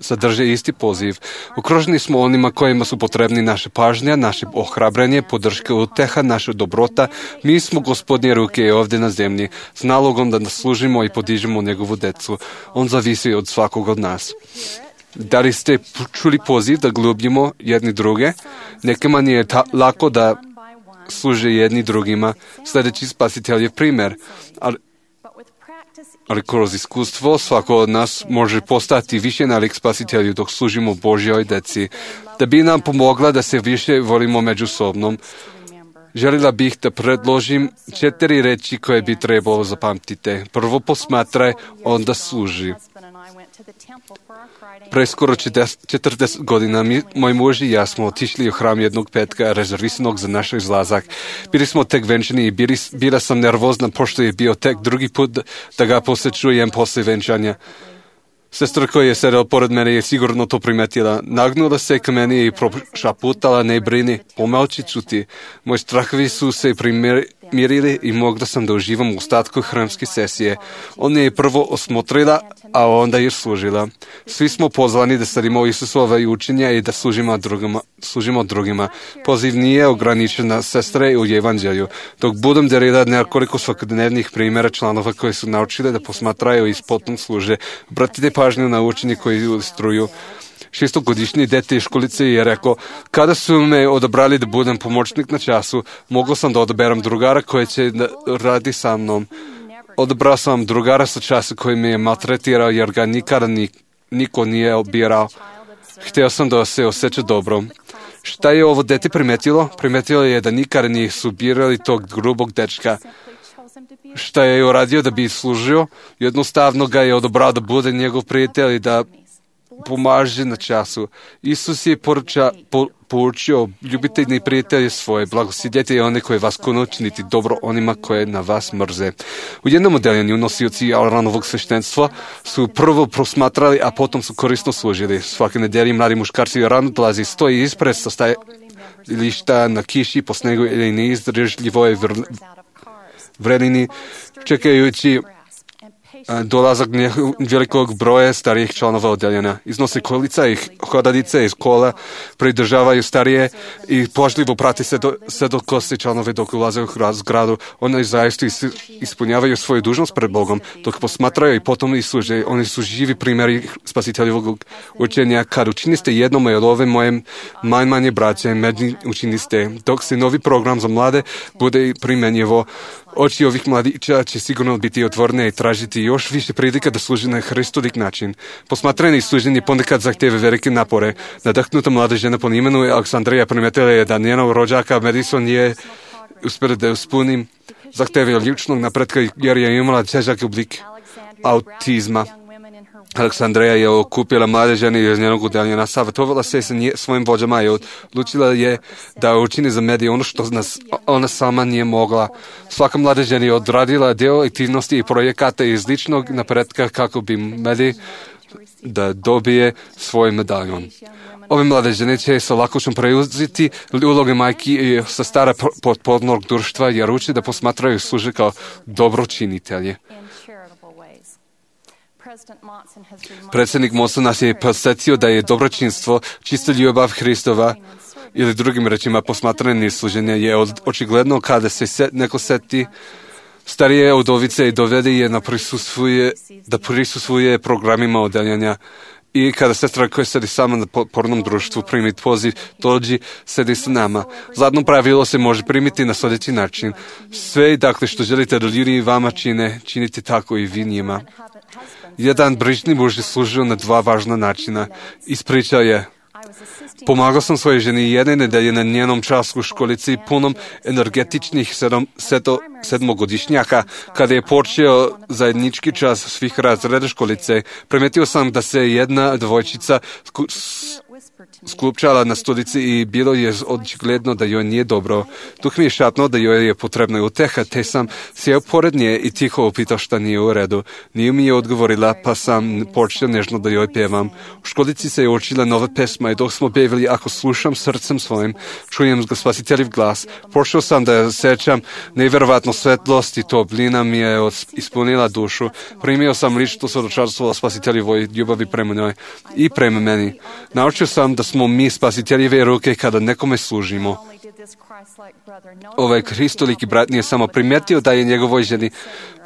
Speaker 6: sadrže isti poziv. Okruženi smo onima kojima su potrebni naše pažnja, naše ohrabrenje, podrška, uteha, naša dobrota. Mi smo gospodnje ruke ovdje na zemlji, s nalogom da služimo i podižemo njegovu decu. On zavisi od svakog od nas. Da li ste čuli poziv da ljubimo jedni druge? Nekima nije lako da služe jedni drugima, sljedeći spasiteljev primjer. Ali kroz iskustvo svako od nas može postati više nalik spasitelju dok služimo Božjoj deci. Da bi nam pomogla da se više volimo međusobnom, željela bih da predložim 4 reči koje bi trebalo zapamtiti. Prvo posmatraj, onda služi. Pre skoro 40 godina moj muž i ja smo otišli u hram jednog petka rezervisanog za naš izlazak. Bili smo tek venčani i bila sam nervozna pošto je bio tek drugi put da ga posjećujem poslije venčanja. Sestra koja je sedela pored mene je sigurno to primetila. Nagnula se k meni i prošaputala, ne brini, pomolči ću ti. Moji strahovi su se primirili i mogla sam da uživam u ostatku hramske sesije. Ona je prvo osmotrila, a onda je služila. Svi smo pozvani da sledimo Isusove učenja i da služimo drugima. Poziv nije ograničen na sestre u evanđelju. Dok budem delila nekoliko svakodnevnih primjera članova koji su naučili da posmatraju i potom služe, obratite pažnju na učenje koji ilustruju. 6-godišnji dete iz školice je rekao, kada su me odabrali da budem pomoćnik na času, mogao sam da odaberam drugara koji će radi sa mnom. Odabrao sam drugara sa časa koji me je maltretirao jer ga nikada niko nije obirao. Htio sam da se osjeća dobro. Šta je ovo dete primetilo? Primetilo je da nikada nisu birali tog grubog dečka. Šta je uradio da bi služio? Jednostavno ga je odabrao da bude njegov prijatelj i da pomaže na času. Isus je poučio, ljubite neprijatelje svoje, blagosidjeti i one koje vas kunu, činiti dobro onima koje na vas mrze. U jednom odeljenju nosioci Aaronovog sveštenstva su prvo prosmatrali, a potom su korisno služili. Svake nedelje mladi muškarci rano dolazi, stoji ispred stajališta na kiši, po snegu ili neizdržljivoj vrelini, čekajući dolazak velikog broja starijih članova odeljenja. Iznose kolica i hodalice iz kola, pridržavaju starije i pažljivo prati se dok kosi članove dok ulaze u zgradu. Oni zaista ispunjavaju svoju dužnost pred Bogom, dok posmatraju i potom i služe. Oni su živi primjeri spasiteljevog učenja. Kad učiniste jednom od ove moje manje braće, meni učiniste. Dok se novi program za mlade bude primjenjivo, oči ovih mladića će sigurno biti otvorene i tražiti još više prilika da služi na Hristolik način. Posmatranje i služenje ponekad zahtjeve velike napore. Nadahnuta mlada žena po imenu Aleksandrija primetila je da njenog rođaka Madison je uspjela da ispuni zahtjeve ličnog napretka jer je imala težak oblik autizma. Aleksandrija je okupila mlade žene iz njenog odeljenja, savjetovala se sa svojim vođama i odlučila je da učini za medije ono što ona sama nije mogla. Svaka mlada žena je odradila dio aktivnosti i projekata iz ličnog napretka kako bi medij da dobije svoj medaljon. Ove mlade žene će sa lakoćom preuzeti uloge majki i sa stara potpornog društva jer uči da posmatraju i služe kao dobročinitelje. Predsjednik Monson nas je podsjetio da je dobročinstvo, čista ljubav Hristova, ili drugim rečima posmatranje i služenje je očigledno kada se neko seti starije udovice i dovede je da prisustvuje programima odeljenja. I kada sestra koja sedi sama na pornom društvu primi poziv, dođi, sedi sa nama. Zadno pravilo se može primiti na sljedeći način. Sve, dakle, što želite da ljudi vama činite tako i vi njima. Jedan brižni muž je služio na 2 važna načina. Ispričao je, Pomagao sam svojoj ženi jedne nedelje na njenom času u školici punom energetičnih sedmogodišnjaka. Kada je počeo zajednički čas svih razreda školice, primetio sam da se jedna dvojčica sklupčala na stolici i bilo je očigledno da joj nije dobro. Duh mi je šapnuo da joj je potrebna uteha, te sam sjeo pored nje i tiho upitao šta nije u redu. Nije mi je odgovorila, pa sam počeo nežno da joj pevam. U školici se je učila nova pesma i dok smo pevali Ako slušam srcem svojim, čujem Spasiteljev glas. Počeo sam da sećam nevjerovatno svetlost i toplina mi je ispunila dušu. Primio sam lično svjedočanstvo o Spasiteljevoj ljubavi prema njoj i prema meni. Naučio sam da smo mi Spasiteljeve ruke kada nekome služimo. Ovaj hristoliki brat nije samo primetio da je njegovoj ženi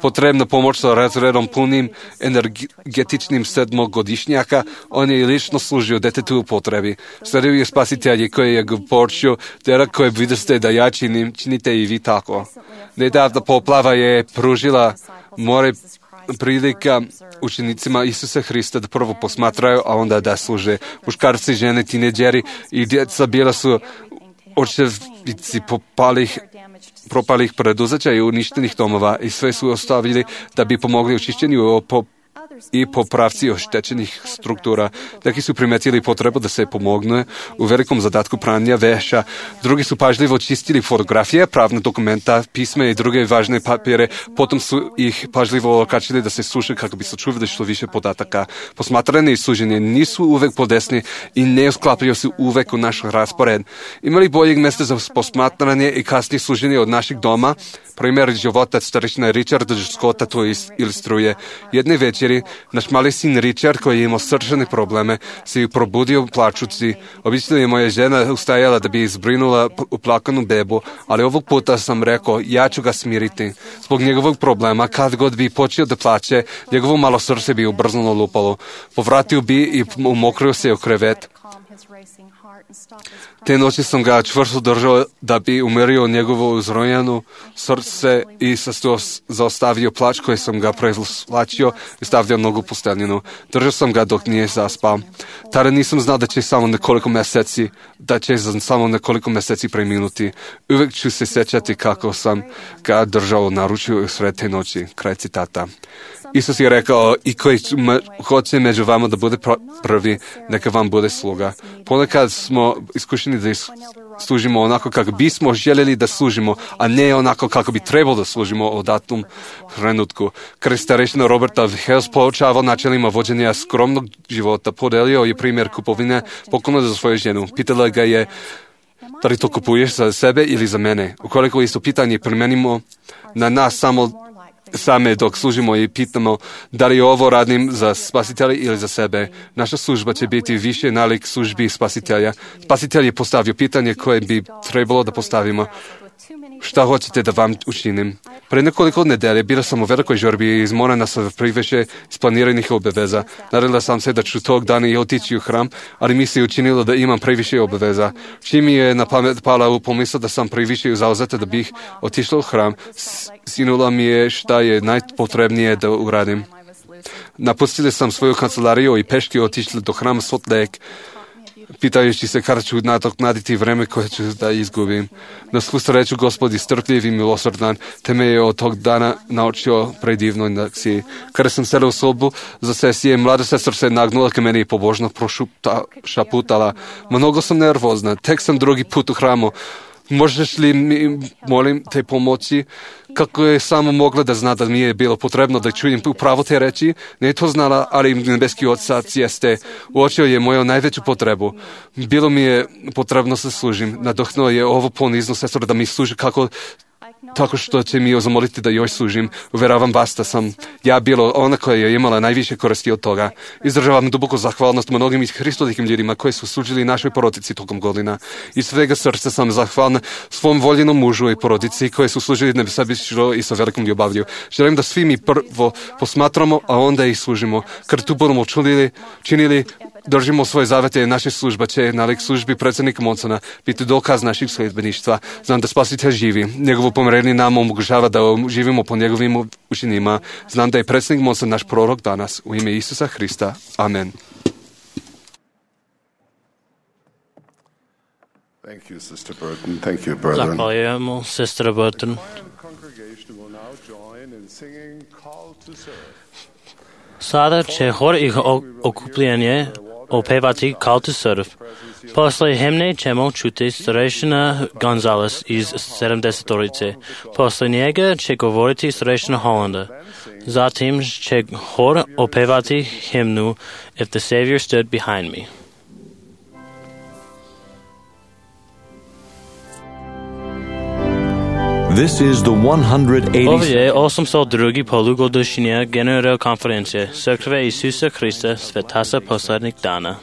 Speaker 6: potrebna pomoć sa razredom punim energetičnim sedmogodišnjaka, on je i lično služio detetu u potrebi. Sledio je Spasitelji koji je počeo, djela koje vidite da ja činim, činite i vi tako. Nedavna poplava je pružila more prilika učenicima Isusa Hrista da prvo posmatraju, a onda da služe. Muškarci, žene, tineđeri i djeca bila su očevici propalih preduzeća i uništenih domova i sve su ostavili da bi pomogli očišćenju i popravci oštećenih struktura. Neki su primetili potrebu da se pomogne u velikom zadatku pranja veša. Drugi su pažljivo čistili fotografije, pravna dokumenta, pisme i druge važne papire. Potom su ih pažljivo okačili da se suše kako bi sačuvali što više podataka. Posmatranje i suženje nisu uvek podesni i ne usklapaju se uvek u naš raspored. Imali boljeg mjesta za posmatranje i kasnije suženje od našeg doma? Primjer života starešina Richarda Scotta to ilustruje. Jedne večeri naš mali sin Richard, koji je imao srčane probleme, se probudio plačući. Obično je moja žena ustajala da bi izbrinula uplakanu bebu, ali ovog puta sam rekao, ja ću ga smiriti. Zbog njegovog problema, kad god bi počeo da plače, njegovo malo srce bi ubrzano lupalo. Povratio bi i umokrio se u krevet. Te noći sam ga čvrsto držao da bi umirio njegovo uzrojeno srce i zaustavio plač koji sam ga prevlačio i stavljao nogu u posteljinu. Držao sam ga dok nije zaspao. Tada nisam znao da će samo nekoliko mjeseci preminuti. Uvijek ću se sjećati kako sam ga držao na ručju sred te noći. Kraj citata. Isus je rekao, i koji hoće među vama da bude prvi, neka vam bude sluga. Ponekad smo iskušeni da služimo onako kako bismo željeli da služimo, a ne onako kako bi trebalo da služimo u datom trenutku. Krst starešina Roberta Hales poučavao načelima vođenja skromnog života. Podelio je primjer kupovine poklona za svoju ženu. Pitala ga je, da li to kupuješ za sebe ili za mene? Ukoliko isto pitanje primenimo na nas same dok služimo i pitamo da li ovo radim za Spasitelja ili za sebe. Naša služba će biti više nalik službi Spasitelja. Spasitelj je postavio pitanje koje bi trebalo da postavimo. Šta hoćete da vam učinim? Pre nekoliko nedelje bila sam u velikoj žurbi i izmorena sa previše isplaniranih obaveza. Nadala sam se da ću tog dana i otići u hram, ali mi se učinilo da imam previše obaveza. Čim mi je na pamet pala u pomisao da sam previše zauzeta da bih otišla u hram, sinula mi je šta je najpotrebnije da uradim. Napustila sam svoju kancelariju i peške otišla do hrama Salt Lake, pitajući se kada ću nadoknaditi vreme koje ću da izgubim. Na svu sreću Gospod je strpljiv i milosrdan, te me je od tog dana naučio predivnoj lekciji. Kada sam sela u sobu za sesije, mlada sestra se nagnula ka meni i pobožno šaputala. Mnogo sam nervozna, tek sam drugi put u hramu. Možeš li mi, molim te, pomoći? Kako je samo mogla da zna da mi je bilo potrebno da čujem upravo te reči? Ne je to znala, ali nebeski otac jeste. Uočio je moju najveću potrebu. Bilo mi je potrebno da služim. Nadohnuo je ovo ponizno sestro da mi služi tako što će mi zamoliti da joj služim. Uveravam vas da sam ja bila ona koja je imala najviše koristi od toga. Izražavam duboku zahvalnost mnogim hristolikim ljudima koji su služili našoj porodici tokom godina. Iz svega srca sam zahvalna svom voljenom mužu i porodici koji su služili nesebično i sa velikom ljubavlju. Želim da svi mi prvo posmatramo, a onda ih služimo. Kad tu budemo činili, držimo svoje zavete, naša služba će nalik službi predsjednika Monsona biti dokaz naših sljedbeništva. Znam da Spasitelj živi. Njegovo pomirenje nam omogućava da živimo po njegovim učinima. Znam da je predsjednik Monson naš prorok danas. U ime Isusa Hrista. Amen.
Speaker 4: Thank you, Sister Burton. Thank you, brethren.
Speaker 2: Zahvaljujemo, sestra Burton.
Speaker 4: Congregation will now join in singing Call to Serve.
Speaker 2: Sada će hor i okupljenje opevati Call to Serve. Posle himne ćemo čuti starešina Gonzales iz 70-torice. Posle njega će govoriti starešina Hollanda. Zatim će hor opevati himnu If the Savior Stood Behind Me.
Speaker 1: This is the 180th.
Speaker 2: Ovo je 802. polugodišnja generalna konferencija Crkve Isusa Hrista Svetasa poslednjih dana.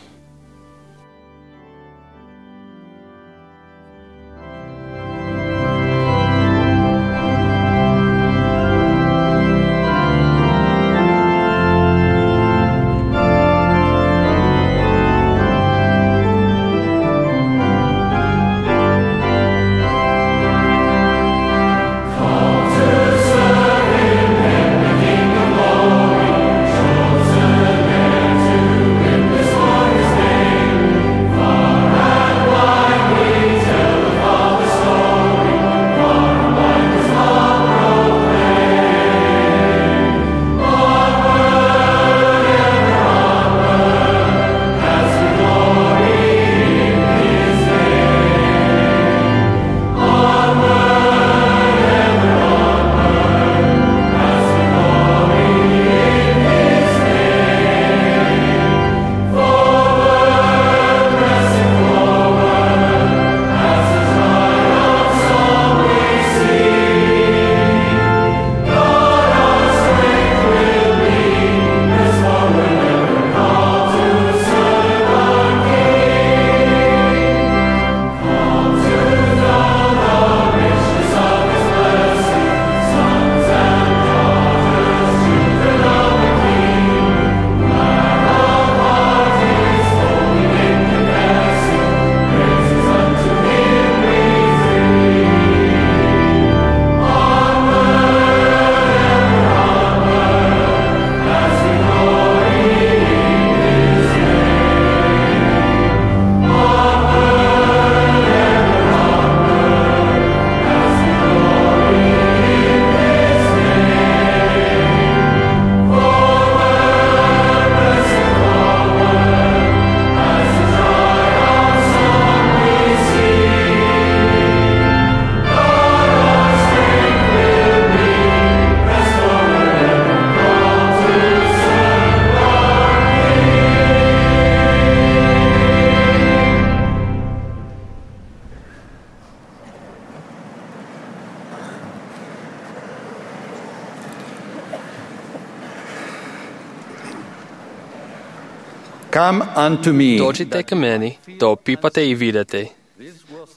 Speaker 12: Come unto me.
Speaker 7: Dođite ka meni, da opipate i vidite.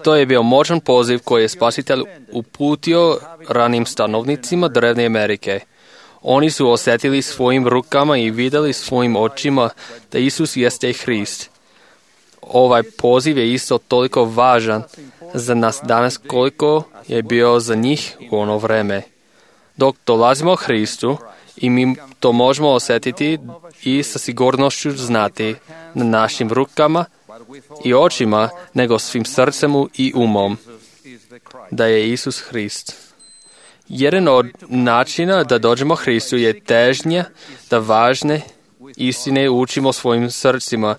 Speaker 7: To je bio moćan poziv koji je Spasitelj uputio ranim stanovnicima Drevne Amerike. Oni su osjetili svojim rukama i vidjeli svojim očima da Isus jeste Hrist. Ovaj poziv je isto toliko važan za nas danas koliko je bio za njih u ono vreme. Dok dolazimo Hristu i mi to možemo osjetiti i sa sigurnošću znati na našim rukama i očima, nego svim srcem i umom, da je Isus Hrist. Jedan od načina da dođemo Hristu je težnja da važne istine učimo svojim srcima,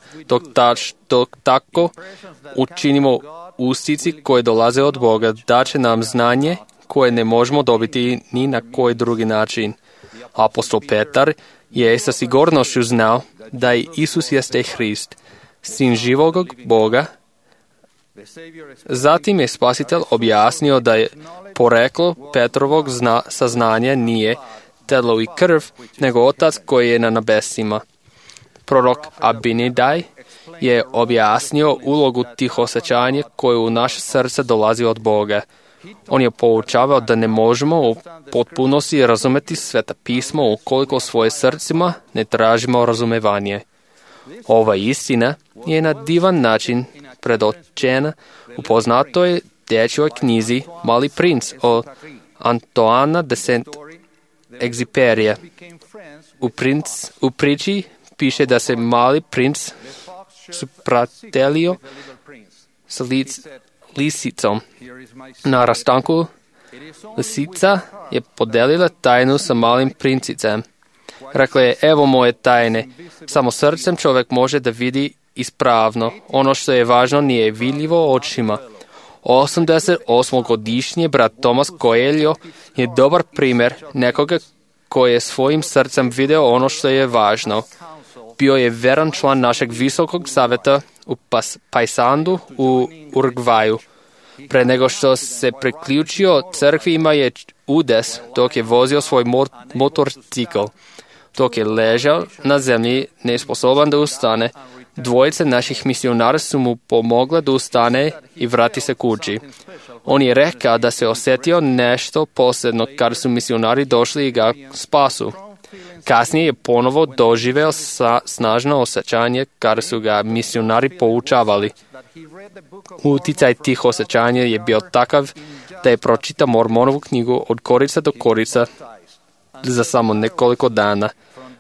Speaker 7: dok tako učinimo ustici koje dolaze od Boga, daće nam znanje koje ne možemo dobiti ni na koji drugi način. Apostol Petar je sa sigurnošću znao da je Isus jeste Hrist, sin živog Boga. Zatim je Spasitelj objasnio da je poreklo Petrovog saznanja nije telo i krv, nego Otac koji je na nebesima. Prorok Abinadaj je objasnio ulogu tih osjećanja koje u naše srce dolazi od Boga. On je poučavao da ne možemo u potpunosti razumeti Sveta pismo ukoliko svoje srcima ne tražimo razumevanje. Ova istina je na divan način predočena u poznatoj dječjoj knjizi Mali princ od Antoana de Saint-Exupéry. U priči piše da se mali princ supratelio lisicom. Na rastanku lisica je podelila tajnu sa malim princicem. Rekla je, evo moje tajne, samo srcem čovjek može da vidi ispravno. Ono što je važno nije vidljivo očima. 88-godišnji brat Thomas Coelho je dobar primjer nekoga koji je svojim srcem video ono što je važno. Bio je veran član našeg visokog savjeta u Paysandu u Urugvaju. Pre nego što se priključio crkvi ima je udes dok je vozio svoj motorcikl. Dok je ležao na zemlji nesposoban da ustane, dvojice naših misionara su mu pomogla da ustane i vrati se kući. On je rekao da se osjetio nešto posebno kada su misionari došli i ga spasu. Kasnije je ponovo doživeo snažno osjećanje kada su ga misionari poučavali. Uticaj tih osjećanja je bio takav da je pročitao Mormonovu knjigu od korica do korica za samo nekoliko dana.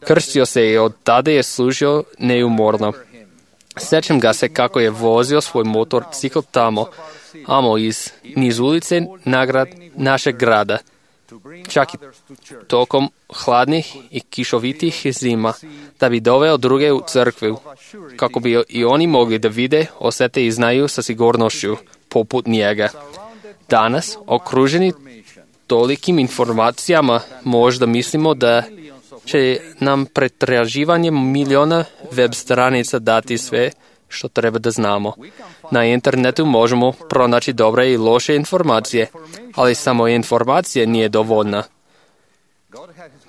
Speaker 7: Krstio se i od tada je služio neumorno. Sjećam ga se kako je vozio svoj motorcikl tamo niz ulice našeg grada. Čak i tokom hladnih i kišovitih zima, da bi doveo druge u crkvu, kako bi i oni mogli da vide, osjete i znaju sa sigurnošću, poput njega. Danas, okruženi tolikim informacijama, možda mislimo da će nam pretraživanje miliona web stranica dati sve što treba da znamo. Na internetu možemo pronaći dobre i loše informacije, ali samo informacije nije dovoljna.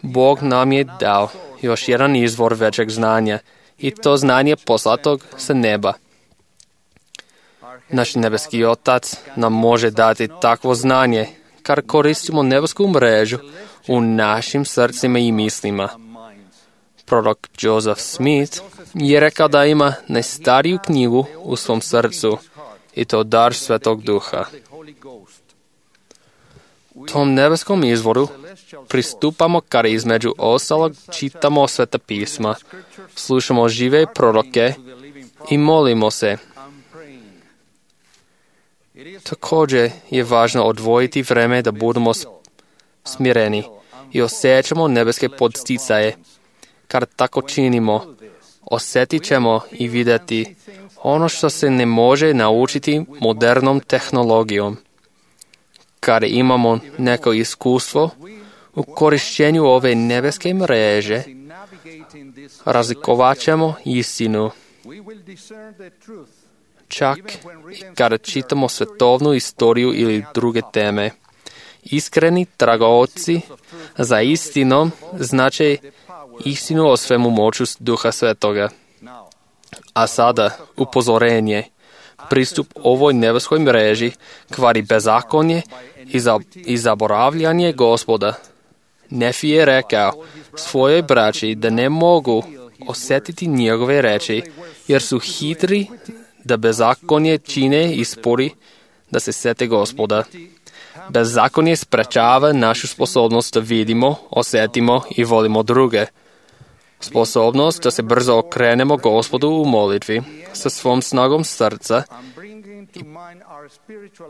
Speaker 7: Bog nam je dao još jedan izvor većeg znanja i to znanje poslatog sa neba. Naš nebeski Otac nam može dati takvo znanje, kar koristimo nebesku mrežu u našim srcima i mislima. Prorok Joseph Smith je rekao da ima najstariju knjigu u svom srcu i to dar Svetog Duha. Tom nebeskom izvoru pristupamo kada između ostalog čitamo Sveta pisma, slušamo žive proroke i molimo se. Također je važno odvojiti vreme da budemo smireni i osjećamo nebeske podsticaje. Kad tako činimo, osjetit ćemo i vidjeti ono što se ne može naučiti modernom tehnologijom. Kad imamo neko iskustvo u korišćenju ove nebeske mreže, razlikovat ćemo istinu. Čak i kada čitamo svetovnu istoriju ili druge teme. Iskreni tragaoci za istinom znače istinu o svemu moću Duha Svetoga. A sada upozorenje. Pristup ovoj nebeskoj mreži kvari bezakonje i zaboravljanje Gospoda. Nefi je rekao svojoj braći da ne mogu osjetiti njegove reči, jer su hitri da bezakonje čine i spori da se sete Gospoda. Bezakonje sprečava našu sposobnost da vidimo, osjetimo i volimo druge. Sposobnost da se brzo okrenemo Gospodu u molitvi sa svom snagom srca i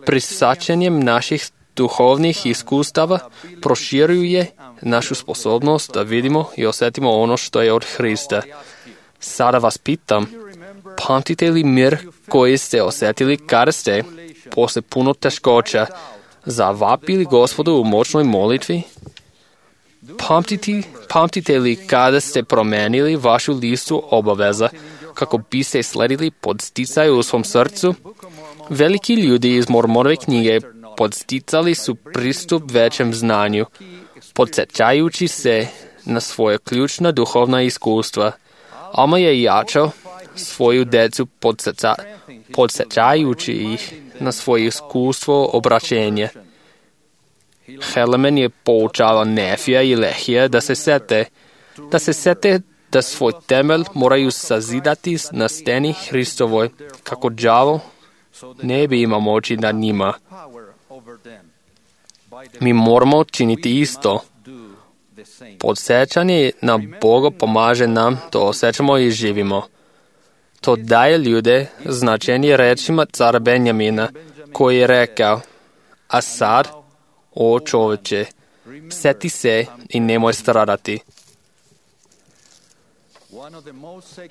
Speaker 7: prisačenjem naših duhovnih iskustava proširuje našu sposobnost da vidimo i osjetimo ono što je od Hrista. Sada vas pitam, pamtite li mir koji ste osjetili kada ste, posle puno teškoća, zavapili Gospodu u moćnoj molitvi? Pamtite li kada ste promenili vašu listu obaveza kako biste sledili podsticaj u svom srcu? Veliki ljudi iz Mormonove knjige podsticali su pristup većem znanju, podsjećajući se na svoje ključna duhovna iskustva. Alma je jačao svoju decu podsjećajući ih na svoje iskustvo obraćenja. Helaman je poučava Nefija i Lehija da se sete da svoj temelj moraju sazidati na steni Hristovoj, kako đavo ne bi imao moći nad njima. Mi moramo činiti isto. Podsjećanje na Boga pomaže nam da osjećamo i živimo. To daje ljude značenje rečima cara Benjamina. koji je rekao, a sad, o čoveče, seti se i nemoj stradati.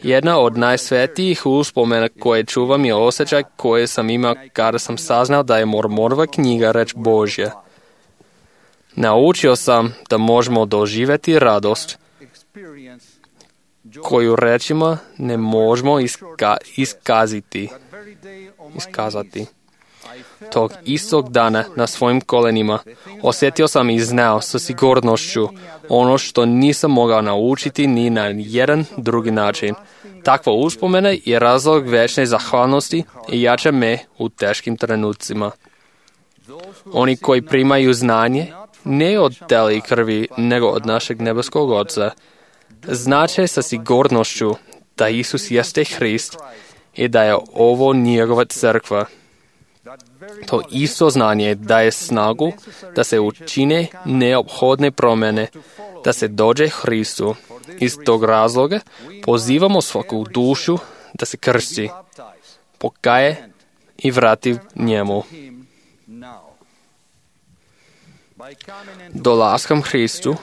Speaker 7: Jedna od najsvetijih uspomena koje čuvam je osjećaj koje sam imao kada sam saznao da je Mormonova knjiga reč Božja. Naučio sam da možemo doživjeti radost koju rečima ne možemo iskazati. Tog istog dana na svojim kolenima osjetio sam i znao sa sigurnošću ono što nisam mogao naučiti ni na jedan drugi način. Takva uspomena je razlog večne zahvalnosti i jača me u teškim trenucima. Oni koji primaju znanje ne od tela i krvi, nego od našeg nebeskog Oca, znače sa sigurnošću da Isus jeste Hrist i da je ovo njegova crkva. To isto znanje daje snagu da se učine neophodne promjene, da se dođe Hristu. Iz tog razloga pozivamo svaku dušu da se krsti, pokaje i vrati njemu. Dolaskom Hristu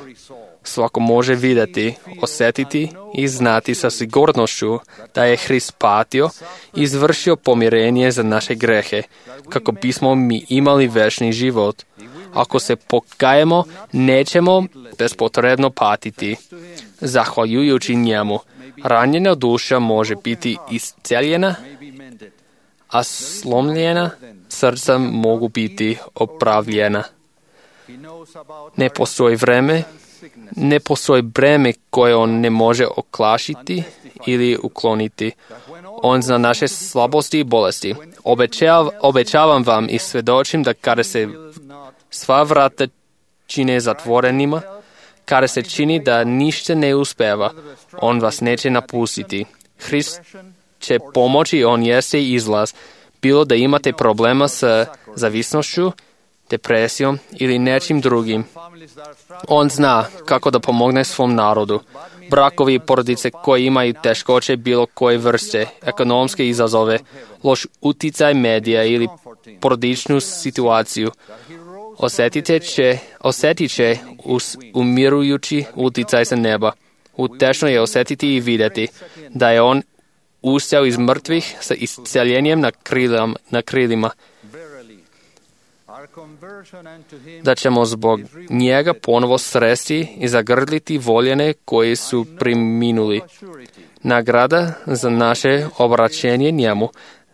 Speaker 7: svako može vidjeti, osjetiti i znati sa sigurnošću da je Hrist patio i izvršio pomirenje za naše grehe, kako bismo mi imali večni život. Ako se pokajemo, nećemo bespotrebno patiti. Zahvaljujući njemu, ranjena duša može biti isceljena, a slomljena srca mogu biti opravljena. Ne postoji breme koje on ne može oklašiti ili ukloniti. On zna naše slabosti i bolesti. Obećavam vam i svjedočim da kada se sva vrata čine zatvorenima, kada se čini da ništa ne uspeva, on vas neće napustiti. Hrist će pomoći, on jeste izlaz. Bilo da imate problema sa zavisnošću, depresijom ili nečim drugim. On zna kako da pomogne svom narodu. Brakovi i porodice koji imaju teškoće bilo koje vrste, ekonomske izazove, loš uticaj medija ili porodičnu situaciju, osjetit će umirujući uticaj sa neba. Utešno je osjetiti i vidjeti da je on ustao iz mrtvih sa isceljenjem na krilima. Da ćemo zbog njega ponovo sresti i zagrliti voljene koji su preminuli. Nagrada za naše obraćenje njemu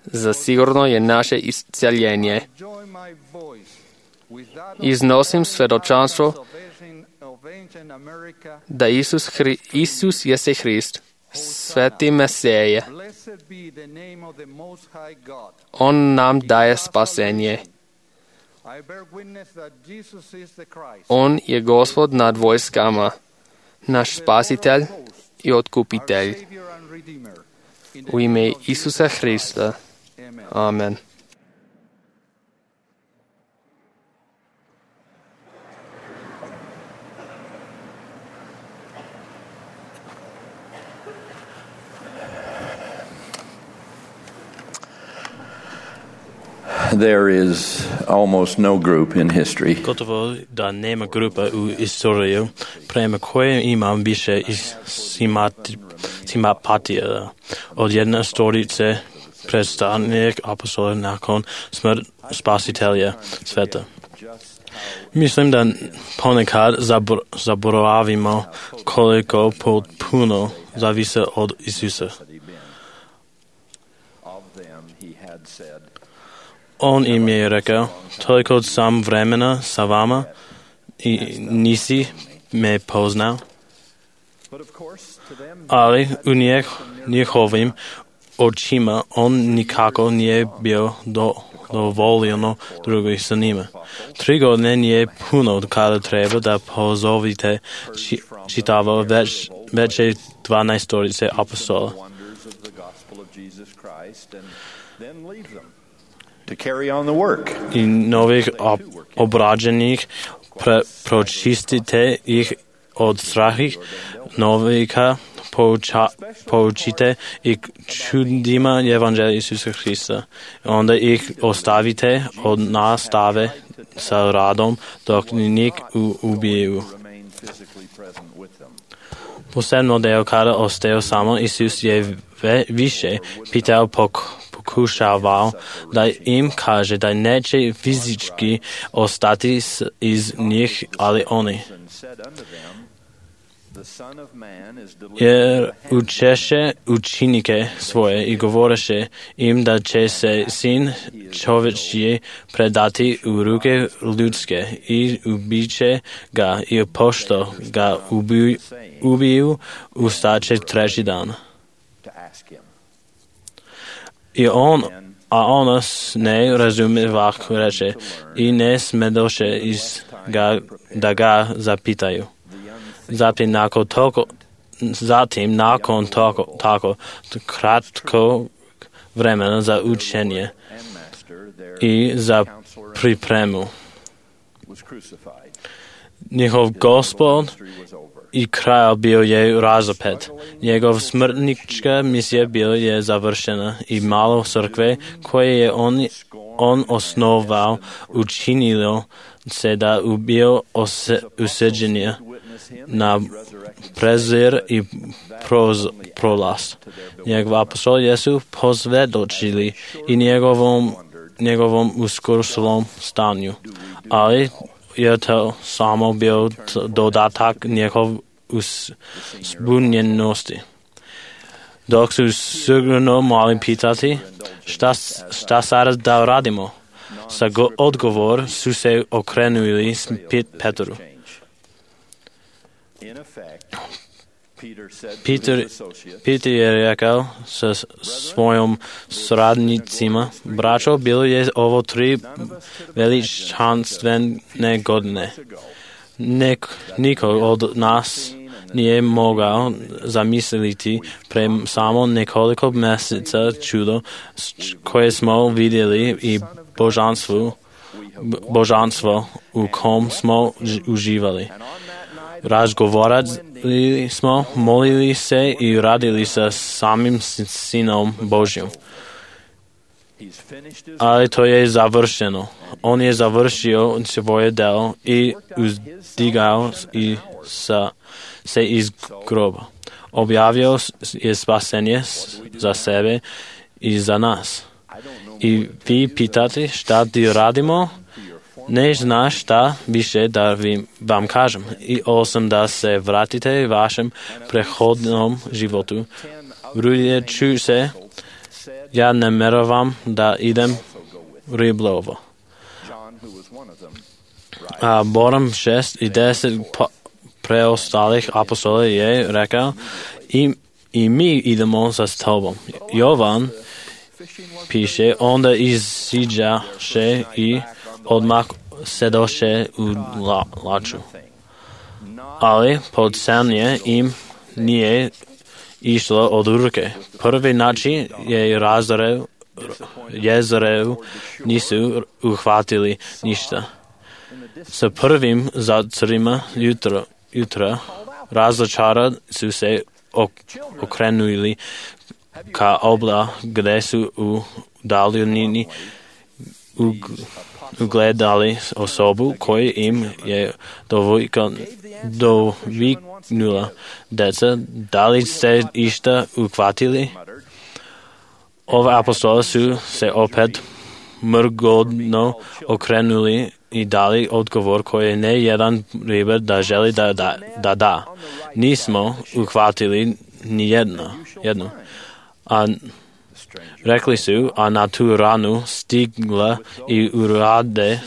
Speaker 7: zasigurno je naše isceljenje. Iznosim svjedočanstvo da Isus jeste Hrist, sveti Mesije. On nam daje spasenje. On je Gospod nad vojskama, naš spasitelj i otkupitelj. U ime Isusa Hrista. Amen.
Speaker 13: There is almost no group in history
Speaker 2: Gotovo da nema grupa u istoriju prema koje imam više simpatija od jedne storice predstavnik apostola nakon smrt spasitelja sveta. Mislim da ponekad zaboravimo koliko potpuno zavise od Isusa. On im je rekao, toliko sam vremena sa vama i nisi me poznao. Ali u njihovim očima on nikako nije bio dovoljeno drugih sa njima. 3 godine nije puno kada treba da pozovite čitavo već 12 storice apostola.
Speaker 13: to carry on the work.
Speaker 2: I novih obrađenih pročistite ih od strahih novika poučite i čudima Evanđelja Isusa Hrista. Onda ih ostavite od nastave sa radom dok nik ubiju. Posebno deo kada osteo samo, Isus je više pitao, pokušavao da im kaže da neće fizički ostati iz njih, ali oni. Jer učeše učenike svoje i govoreše im da će se sin čovječji predati u ruke ljudske i ubiće ga i pošto ga ubiju ustaće treći dan. A on ne razumijevah reče i ne smedoše da ga zapitaju. Zatim nakon tako kratko vremena za učenje i za pripremu. Njihov gospod i kralj bio je razapet. Njegov smrtnička misija bila je završena i malo crkve koje je on osnovao učinilo se da ubio useđenje na prezir i prolaz. Njegov apostol Jesu posvjedočili i njegovom uskurslom stanju, ali je to samo bio dodatak njegov zbunjenosti. Dok su sigurno mali pitati šta sada da radimo, sa odgovor su se okrenuli s Petru. Peter je rekao sa svojom sradnicima, braćo, bilo je ovo 3 veličanstvene godine. Niko od nas nije mogao zamisliti pre samo nekoliko mjeseca čudo koje smo vidjeli i božanstvo u kom smo uživali. Razgovarali smo, molili se i radili sa samim Sinom Božjim. Ali to je završeno. On je završio svoje delo i uzdigao se iz groba. Objavio je spasenje za sebe i za nas. I vi pitate šta ti radimo? Ne znaš šta više da vam kažem. I osim da se vratite vašem prehodnom životu. Vrljeću se, ja nameravam da idem riblovo. A Borom 6 i 10 preostalih apostola je rekao i mi idemo za tobom. Jovan piše, onda iziđaše i odmah sedoše u laču. Ali podsanje im nije išlo od ruke. Prvi način je Jezerevu nisu uhvatili ništa. Sa prvim zacrima jutra razočara su se okrenuli ka obla gde su u daljini ugledali osobu koju im je doviknula. Deca, da li ste išta uhvatili? Ove apostole su se opet mrgodno okrenuli i dali odgovor koji ne jedan ribar da želi da. Nismo uhvatili ni jedno. A rekli su, a na tu ranu stigla i urade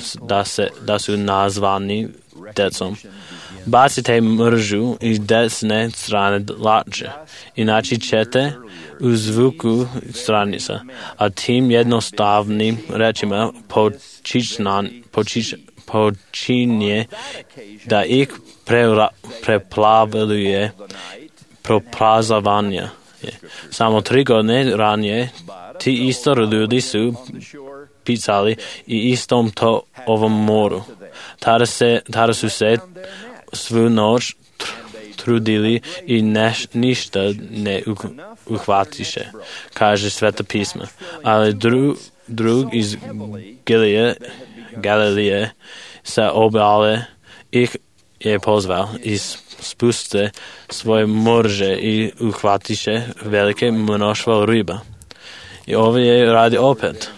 Speaker 2: da su nazvani decom. Bacite mržu i desne strane lače, inače ćete u zvuku stranica, a tim jednostavnim rečima počinje da ih preplavljuje proprazavanje. Samo 3 godine ranije ti isto ljudi su pisali i istom to ovom moru. Tada su se svu noć trudili i ništa ne uhvatiše, kaže Sveta pisma. Ali drug iz Galileje sa obale ih je pozval i spuste svoje morže i uhvatiše velike mnoštvo riba. I ovo je radi opet.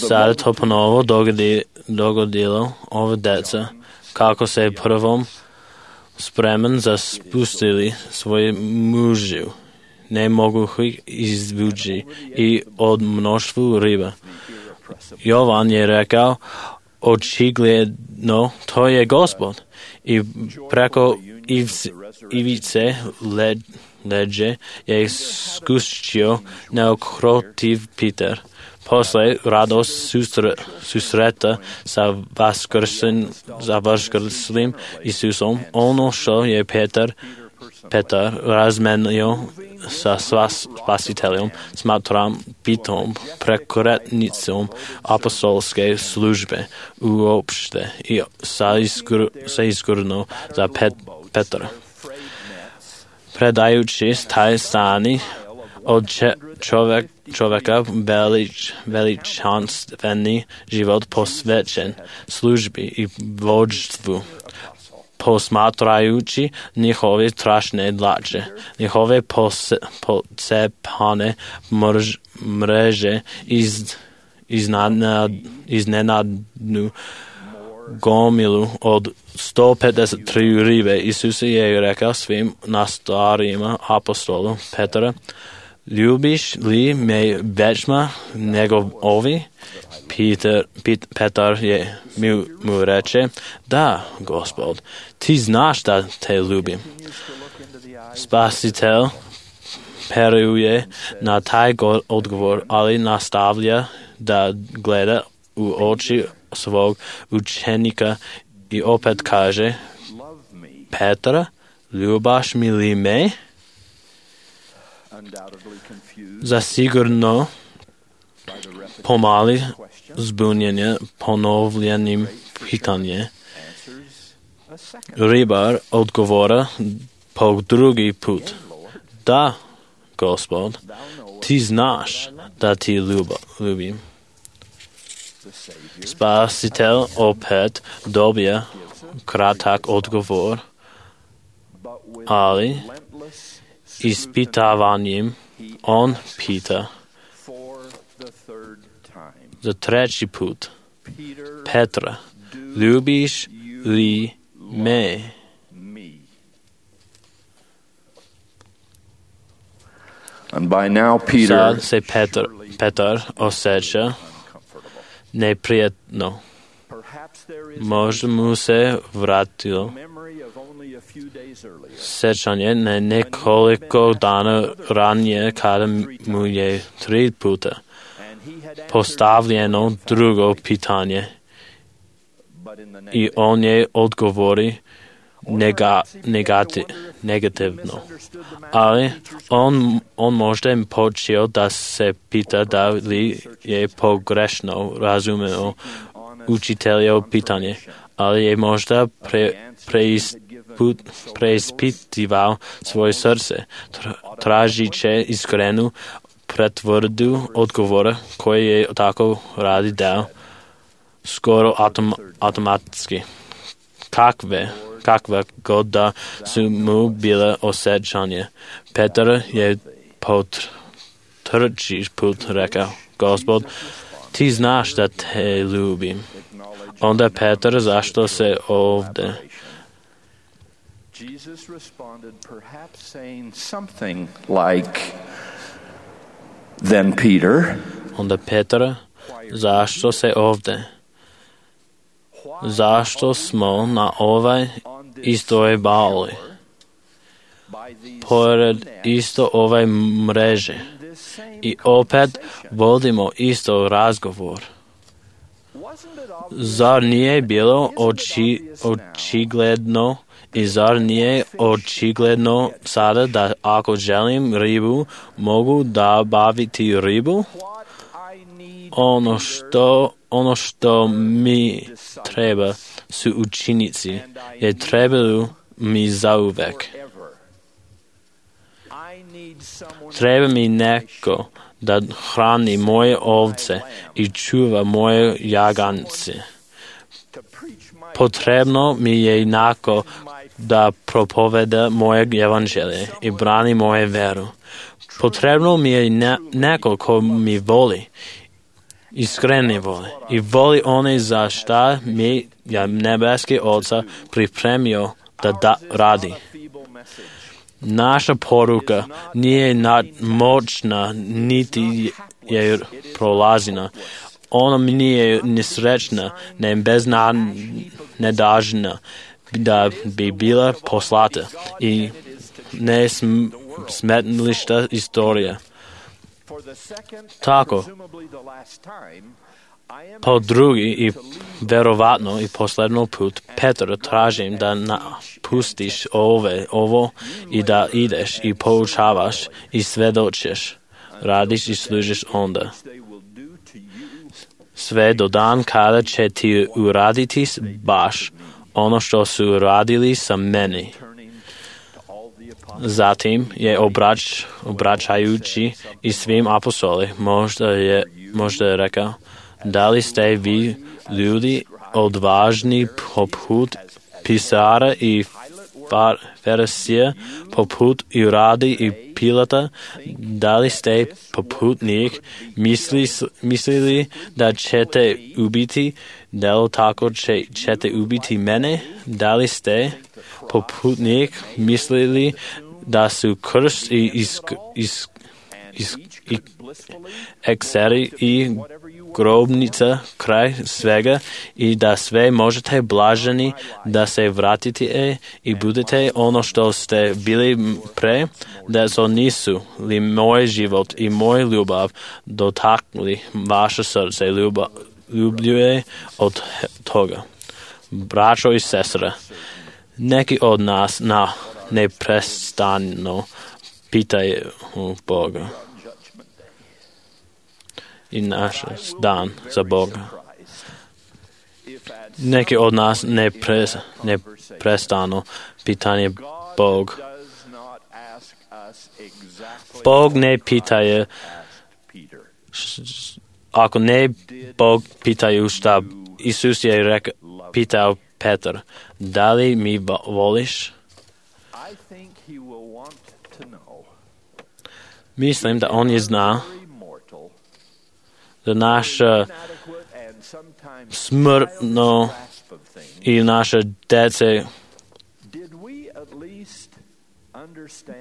Speaker 2: Sada to ponovo dogodilo ove deca, kako se prvom spreman za spustili svoje mužju. Ne mogu ih izvući i od mnoštvu riba. Jovan je rekao, očigledno to je Gospod. I preko ivice leđe je skuščio neokrotiv Peter. Posle radost susreta sa vaskrslim Isusom, ono što je Petar razmenio sa spasiteljom, smatram pitom prekretnicom apostolske službe uopšte i sa izgurno za Petra. Predajući taj stani od čovjeka veličanstveni život posvećen službi i vođstvu, posmatrajući njihove strašne dlače, njihove pocepane mreže iznenadnu gomilu od 153 ribe. Isus je rekao svim nastarima apostolu Petra, ljubiš li me većma nego ovi? Petar je mu reče, da, Gospod, ti znaš da te ljubim. Spasitelj peruje na taj odgovor, ali nastavlja da gleda u oči svog učenika i opet kaže, Petra, ljubaš mi li me? Zasigurno pomali zbunjenje ponovljenim pitanje. Ribar odgovora po drugi put. Da, Gospod, ti znaš da ti ljubim. Spasitelj opet dobija kratak odgovor, ali ispitavanjem on pita za treći put, Petra, ljubiš li me?
Speaker 13: And by now Peter
Speaker 2: Sad se Petar osjeća neprijatno. Možda mu se vratilo sjećanje na nekoliko dana ranije kada mu je 3 puta postavljeno drugo pitanje i on je odgovori negativno. Ali on možda je počeo da se pita da li je pogrešno razumeo učiteljevo pitanje, ali je možda preispitivao svoje srce, tražiće iskrenu pretvrdu odgovora koji je tako radi dao skoro automatski. Kakva god da su mu bile osjećanje. Petar je po 3 put rekao, Gospod, ti znaš da te ljubim. Onda Petar, zašto se ovdje?
Speaker 13: Jesus responded, perhaps saying something like, then Peter.
Speaker 2: Onda Petar, zašto se ovdje? Zašto smo na ovaj istoj bali? Pored isto ove mreže. I opet vodimo isto razgovor. Zar nije bilo očigledno i zar nije očigledno sada da ako želim ribu, mogu da baviti ribu? Ono što mi treba su učenici, je trebaju mi zauvek. Treba mi neko da hrani moje ovce i čuva moje jagance. Potrebno mi je neko da propoveda moje evanđelje i brani moje veru. Potrebno mi je neko ko mi voli, iskreni voli i voli one za šta mi je nebeski Oca pripremio da radi. Naša poruka nije moćna, niti je prolazina. Ona nije nesrećna, ne beznadežna da bi bila poslata i ne smetlišta istorija. Tako, po drugi i verovatno i posledno put, Petar, tražim da napustiš ovo i da ideš i poučavaš i svedočiš, radiš i služiš onda. Sve do dan kada će ti uraditi baš ono što su uradili sa meni. Zatim je obraćajući i svim apostoli možda je rekao, da li ste vi ljudi odvažni poput pisara i farisija, poput Iradi i Pilata, da li ste poput njih mislili da ćete ubiti, da li tako ćete ubiti mene, da li ste poput njih mislili da su krst i ekseri i grobnica kraj svega i da sve možete blaženi da se vratite i budete ono što ste bili pre, da so nisu li moj život i moj ljubav dotaknuli vaše srce ljubljuje od toga. Braćo i sestre, neki od nas neprestano pitaju Boga i naš dan za Boga. Neki od nas neprestano pitanje Bog. Bog ne pitaje, ako ne Bog pitaju šta Isus je pitao Petar, da li mi voliš? Mislim da on je zna da naša smrtno i naše dece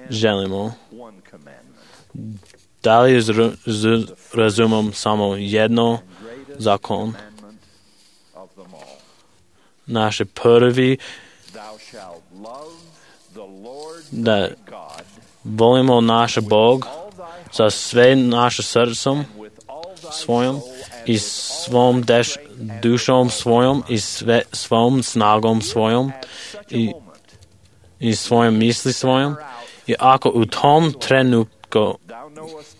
Speaker 2: želimo. Da li razumom samo jedno zakon? Naše prvi da volimo naš Bog sa sve naše srcom svojom i svom dušom svojom i svom snagom svojom i svojom misli svojom. I ako u tom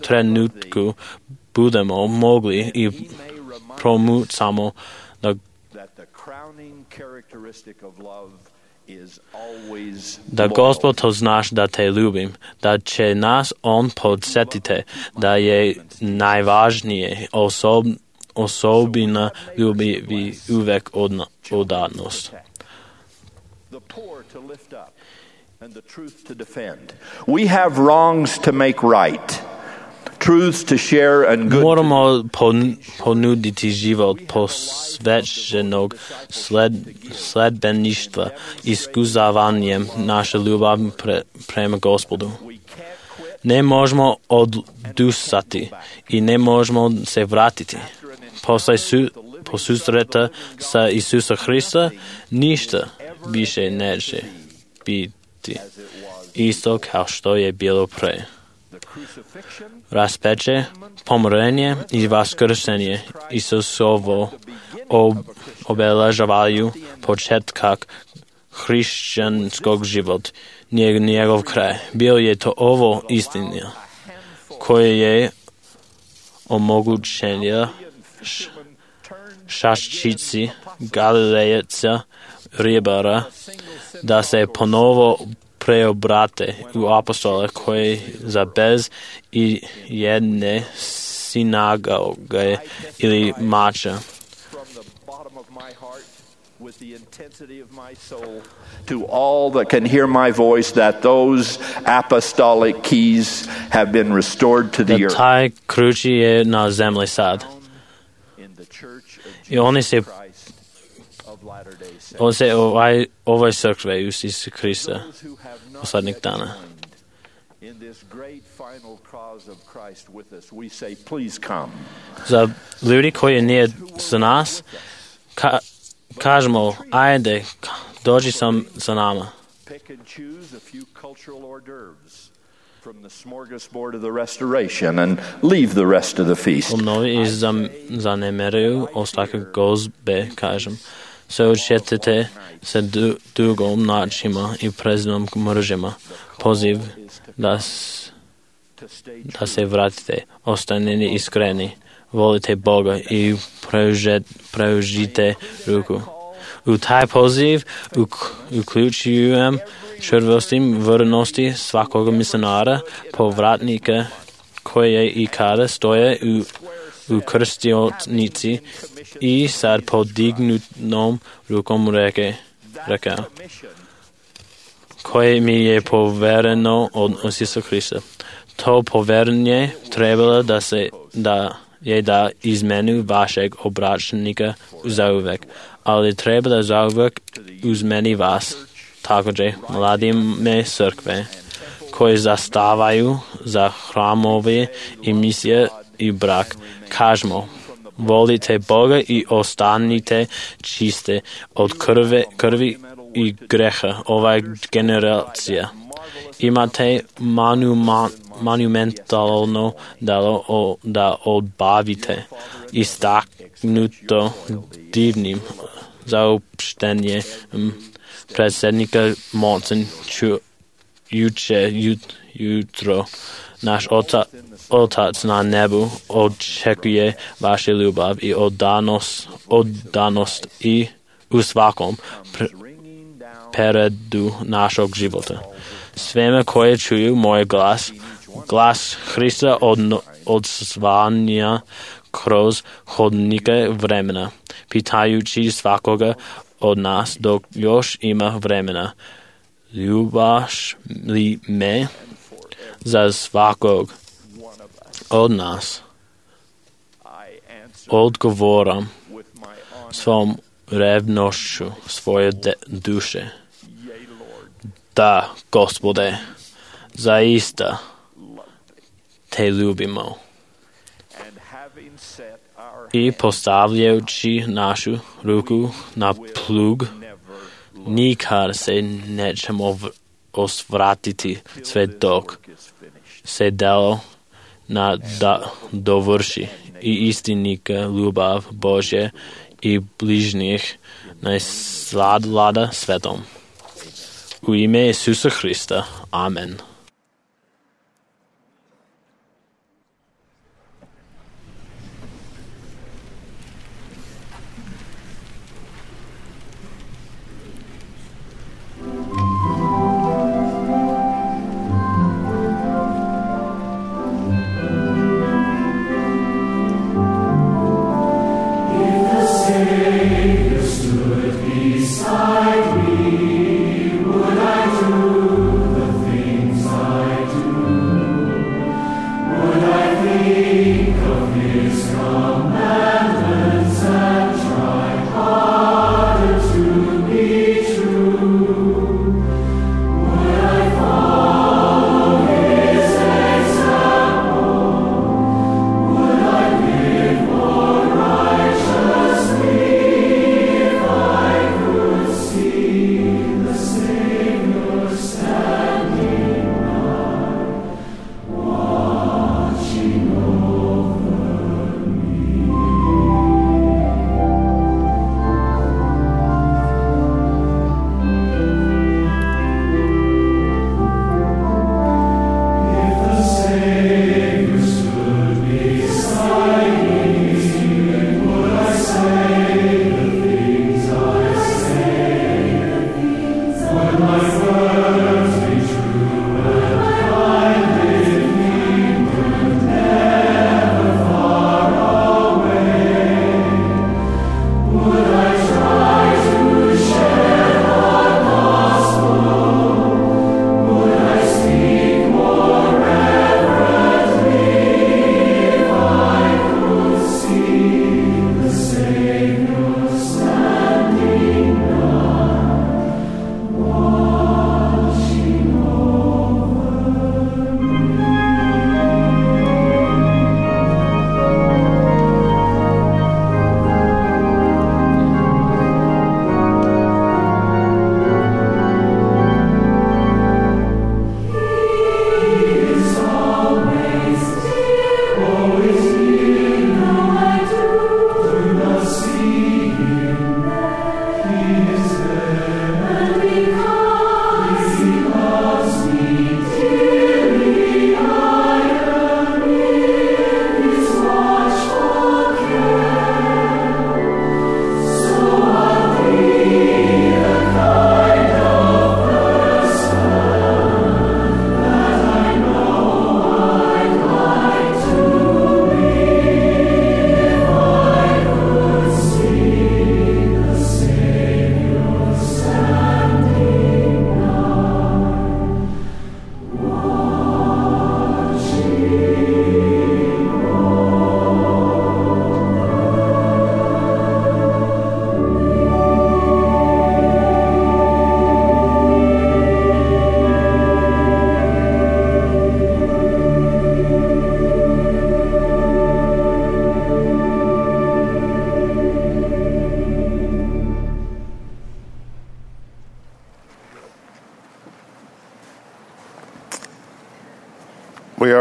Speaker 2: trenutku budemo mogli i promucamo da Gospod to znaš da te ljubim, da će nas on podsjetiti da je najvažnije osobina ljubi uvek odanost.
Speaker 13: We have wrongs to make right, truths to share and good.
Speaker 2: Moramo ponuditi život posvećenog sledbeništva iskuzavanjem naše ljubav prema Gospodu. Ne možemo odustati i ne možemo se vratiti. Po susreta sa Isusa Hrista ništa više neće biti isto kao što je bilo pre. Raspeće, pomirenje i vaskrsenje Isusovo obeležavaju početak hrišćanskog života, njegov kraj. Bio je to ovo istina koje je omogućenja шашчиці галилеєця Рибара, да се поново преобрати у апостола, koji za bez i jedne sinagoge ili mača.
Speaker 13: With the intensity of my soul, to all that can hear my voice, that those apostolic keys have been restored to the earth.
Speaker 2: Taj ključ je na zemlji sad. I oni se ovoj crkve Isusa Krista poslednjih dana.
Speaker 13: In this great final cause of Christ with us, we say, please come.
Speaker 2: Za ljudi koji nije sa nas, kažemo, ajde, dođi sa nama.
Speaker 13: Pick and choose a few cultural hors d'oeuvres from the smorgasbord of the restoration and leave the rest of the feast.
Speaker 2: Mnogi zanemeruju ostatak gozbe, kažem. Se odšetite sa dugom načima i preznom mržima. Poziv da se vratite, ostanite iskreni. Volite Boga i preužite ruku. U taj poziv uključujem čvrstosti vrnosti svakog misionara, povratnika koje i kada stoje u krstionici i sad podignutom rukom reka koje mi je povereno od Isusa Krista. To poverenje trebalo da izmenu vašeg obračnika zauvek, ali treba da zauvek uzmeni vas, također mladime crkve, koji zastavaju za hramove i misije i brak. Kažemo, volite Boga i ostanite čiste od krvi i greha ova generacija. Imate monumentalno delo da odbavite istaknuto divnim zaopštenje predsjednika Monson jutro. Naš Otac na nebu očekuje vašu ljubav i oddanost i u svakom periodu našeg života. Svema koje čuju moj glas Hrista odzvanja kroz hodnike vremena, pitajući svakoga od nas dok još ima vremena. Ljubaš li me? Za svakog od nas odgovoram svom revnošću svoje duše. Da, Gospode, zaista te ljubimo. I postavljajući našu ruku na plug, nikad se nećemo osvratiti sve dok se delo dovrši i istinika ljubav Božje i bližnjih najsladlada svetom. U ime Isusa Hrista. Amen.
Speaker 10: Beside me, would I do the things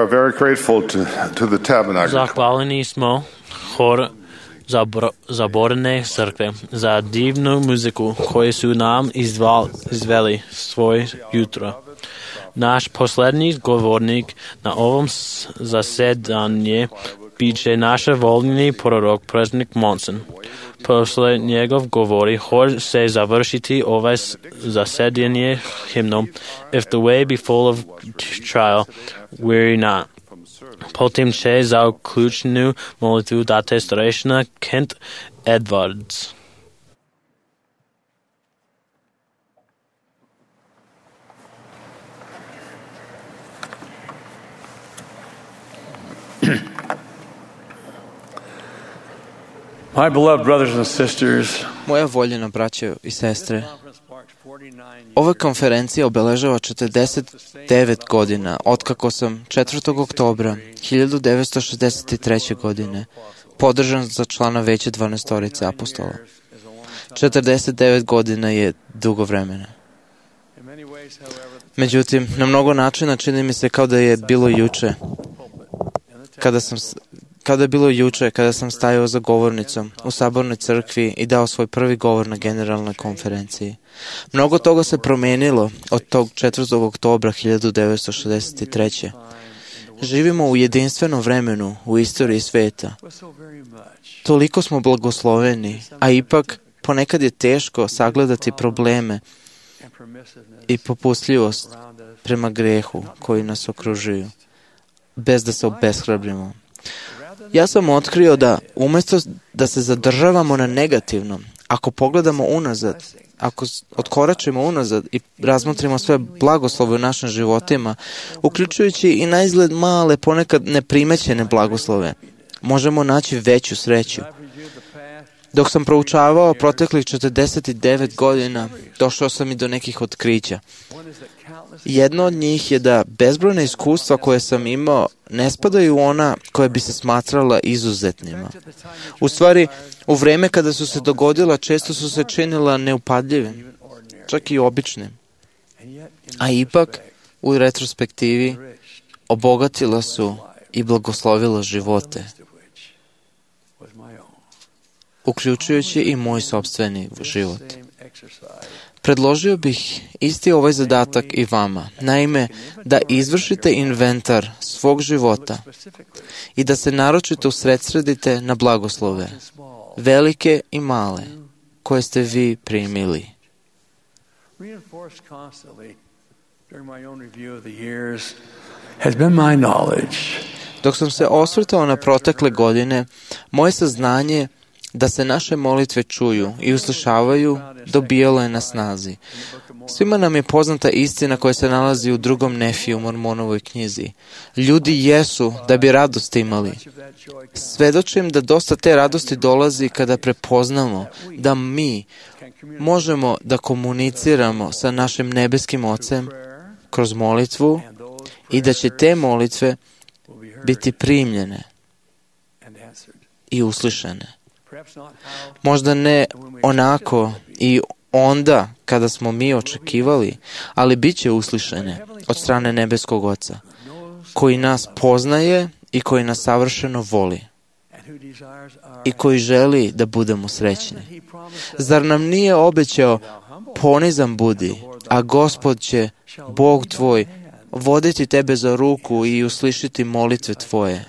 Speaker 4: are very grateful to the Tabernacle.
Speaker 2: Zahvalni smo hor Zaborene crkve za divnu muziku koju su nam izveli svoj jutro. Naš poslednji govornik na ovom zasedanju biće naš voljni prorok, predsjednik Monson. Posle njegov govori hor se završiti ovaj zasedanje himnom If the way be full of trial, weary not. Potem će za uključenu molitvu dati starešina Kent Edwards.
Speaker 12: My beloved brothers and sisters,
Speaker 9: moja voljena braćo i sestre, ova konferencija obeležava 49 godina otkako sam 4. oktobra 1963. godine podržan za člana veća 12 apostola. 49 godina je dugo vremena. Međutim, na mnogo načina čini mi se kao da je bilo juče. Kada sam stajao za govornicom u sabornoj crkvi i dao svoj prvi govor na generalnoj konferenciji. Mnogo toga se promenilo od tog 4. oktobra 1963. Živimo u jedinstvenom vremenu u istoriji sveta. Toliko smo blagosloveni, a ipak ponekad je teško sagledati probleme i popustljivost prema grehu koji nas okružuju, bez da se obeshrabrimo. Ja sam otkrio da umjesto da se zadržavamo na negativnom, ako pogledamo unazad, ako otkoračimo unazad i razmotrimo sve blagoslove u našim životima, uključujući i na izgled male, ponekad neprimećene blagoslove, možemo naći veću sreću. Dok sam proučavao proteklih 49 godina, došao sam i do nekih otkrića. Jedno od njih je da bezbrojna iskustva koje sam imao ne spadaju u ona koje bi se smatrala izuzetnima. U stvari, u vreme kada su se dogodila, često su se činila neupadljivim, čak i običnim. A ipak, u retrospektivi, obogatila su i blagoslovila živote, uključujući i moj sopstveni život. Predložio bih isti ovaj zadatak i vama, naime, da izvršite inventar svog života i da se naročito usredsredite na blagoslove, velike i male, koje ste vi primili. Dok sam se osvrtao na protekle godine, moje saznanje da se naše molitve čuju i uslišavaju, dobijalo je na snazi. Svima nam je poznata istina koja se nalazi u 2. Nefiju, Mormonovoj knjizi. Ljudi jesu da bi radost imali. Svedočim da dosta te radosti dolazi kada prepoznamo da mi možemo da komuniciramo sa našim nebeskim Ocem kroz molitvu i da će te molitve biti primljene i uslišene. Možda ne onako i onda kada smo mi očekivali, ali bit će uslišene od strane nebeskog Oca, koji nas poznaje i koji nas savršeno voli i koji želi da budemo srećni. Zar nam nije obećao, ponizan budi, a Gospod će, Bog tvoj, voditi tebe za ruku i uslišiti molitve tvoje?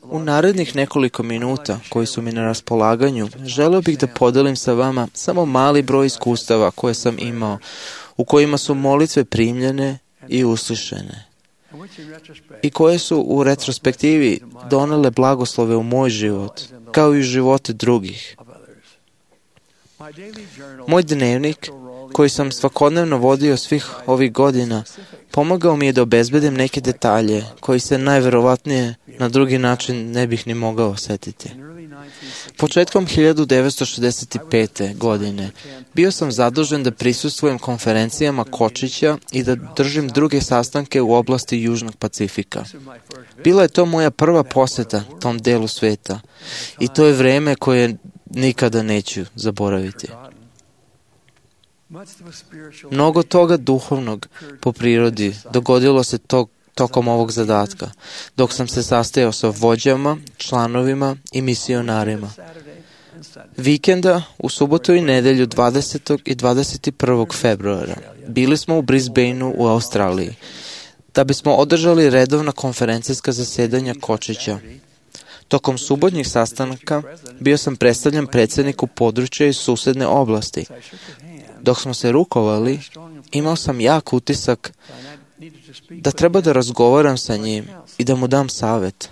Speaker 9: U narednih nekoliko minuta koji su mi na raspolaganju, želeo bih da podelim sa vama samo mali broj iskustava koje sam imao, u kojima su molitve primljene i uslišene i koje su u retrospektivi donele blagoslove u moj život, kao i u živote drugih. Moj dnevnik, koji sam svakodnevno vodio svih ovih godina, pomogao mi je da obezbedim neke detalje koji se najverovatnije na drugi način ne bih ni mogao osjetiti. Početkom 1965. godine bio sam zadužen da prisustvujem konferencijama Kočića i da držim druge sastanke u oblasti Južnog Pacifika. Bila je to moja prva poseta tom delu sveta i to je vreme koje nikada neću zaboraviti. Mnogo toga duhovnog po prirodi dogodilo se tokom ovog zadatka, dok sam se sastajao sa vođama, članovima i misionarima. Vikenda u subotu i nedelju 20. i 21. februara bili smo u Brisbaneu u Australiji, da bismo održali redovna konferencijska zasedanja Kočića. Tokom subotnjih sastanaka bio sam predstavljen predsjedniku područja iz susedne oblasti. Dok smo se rukovali, imao sam jak utisak da treba da razgovaram sa njim i da mu dam savjet.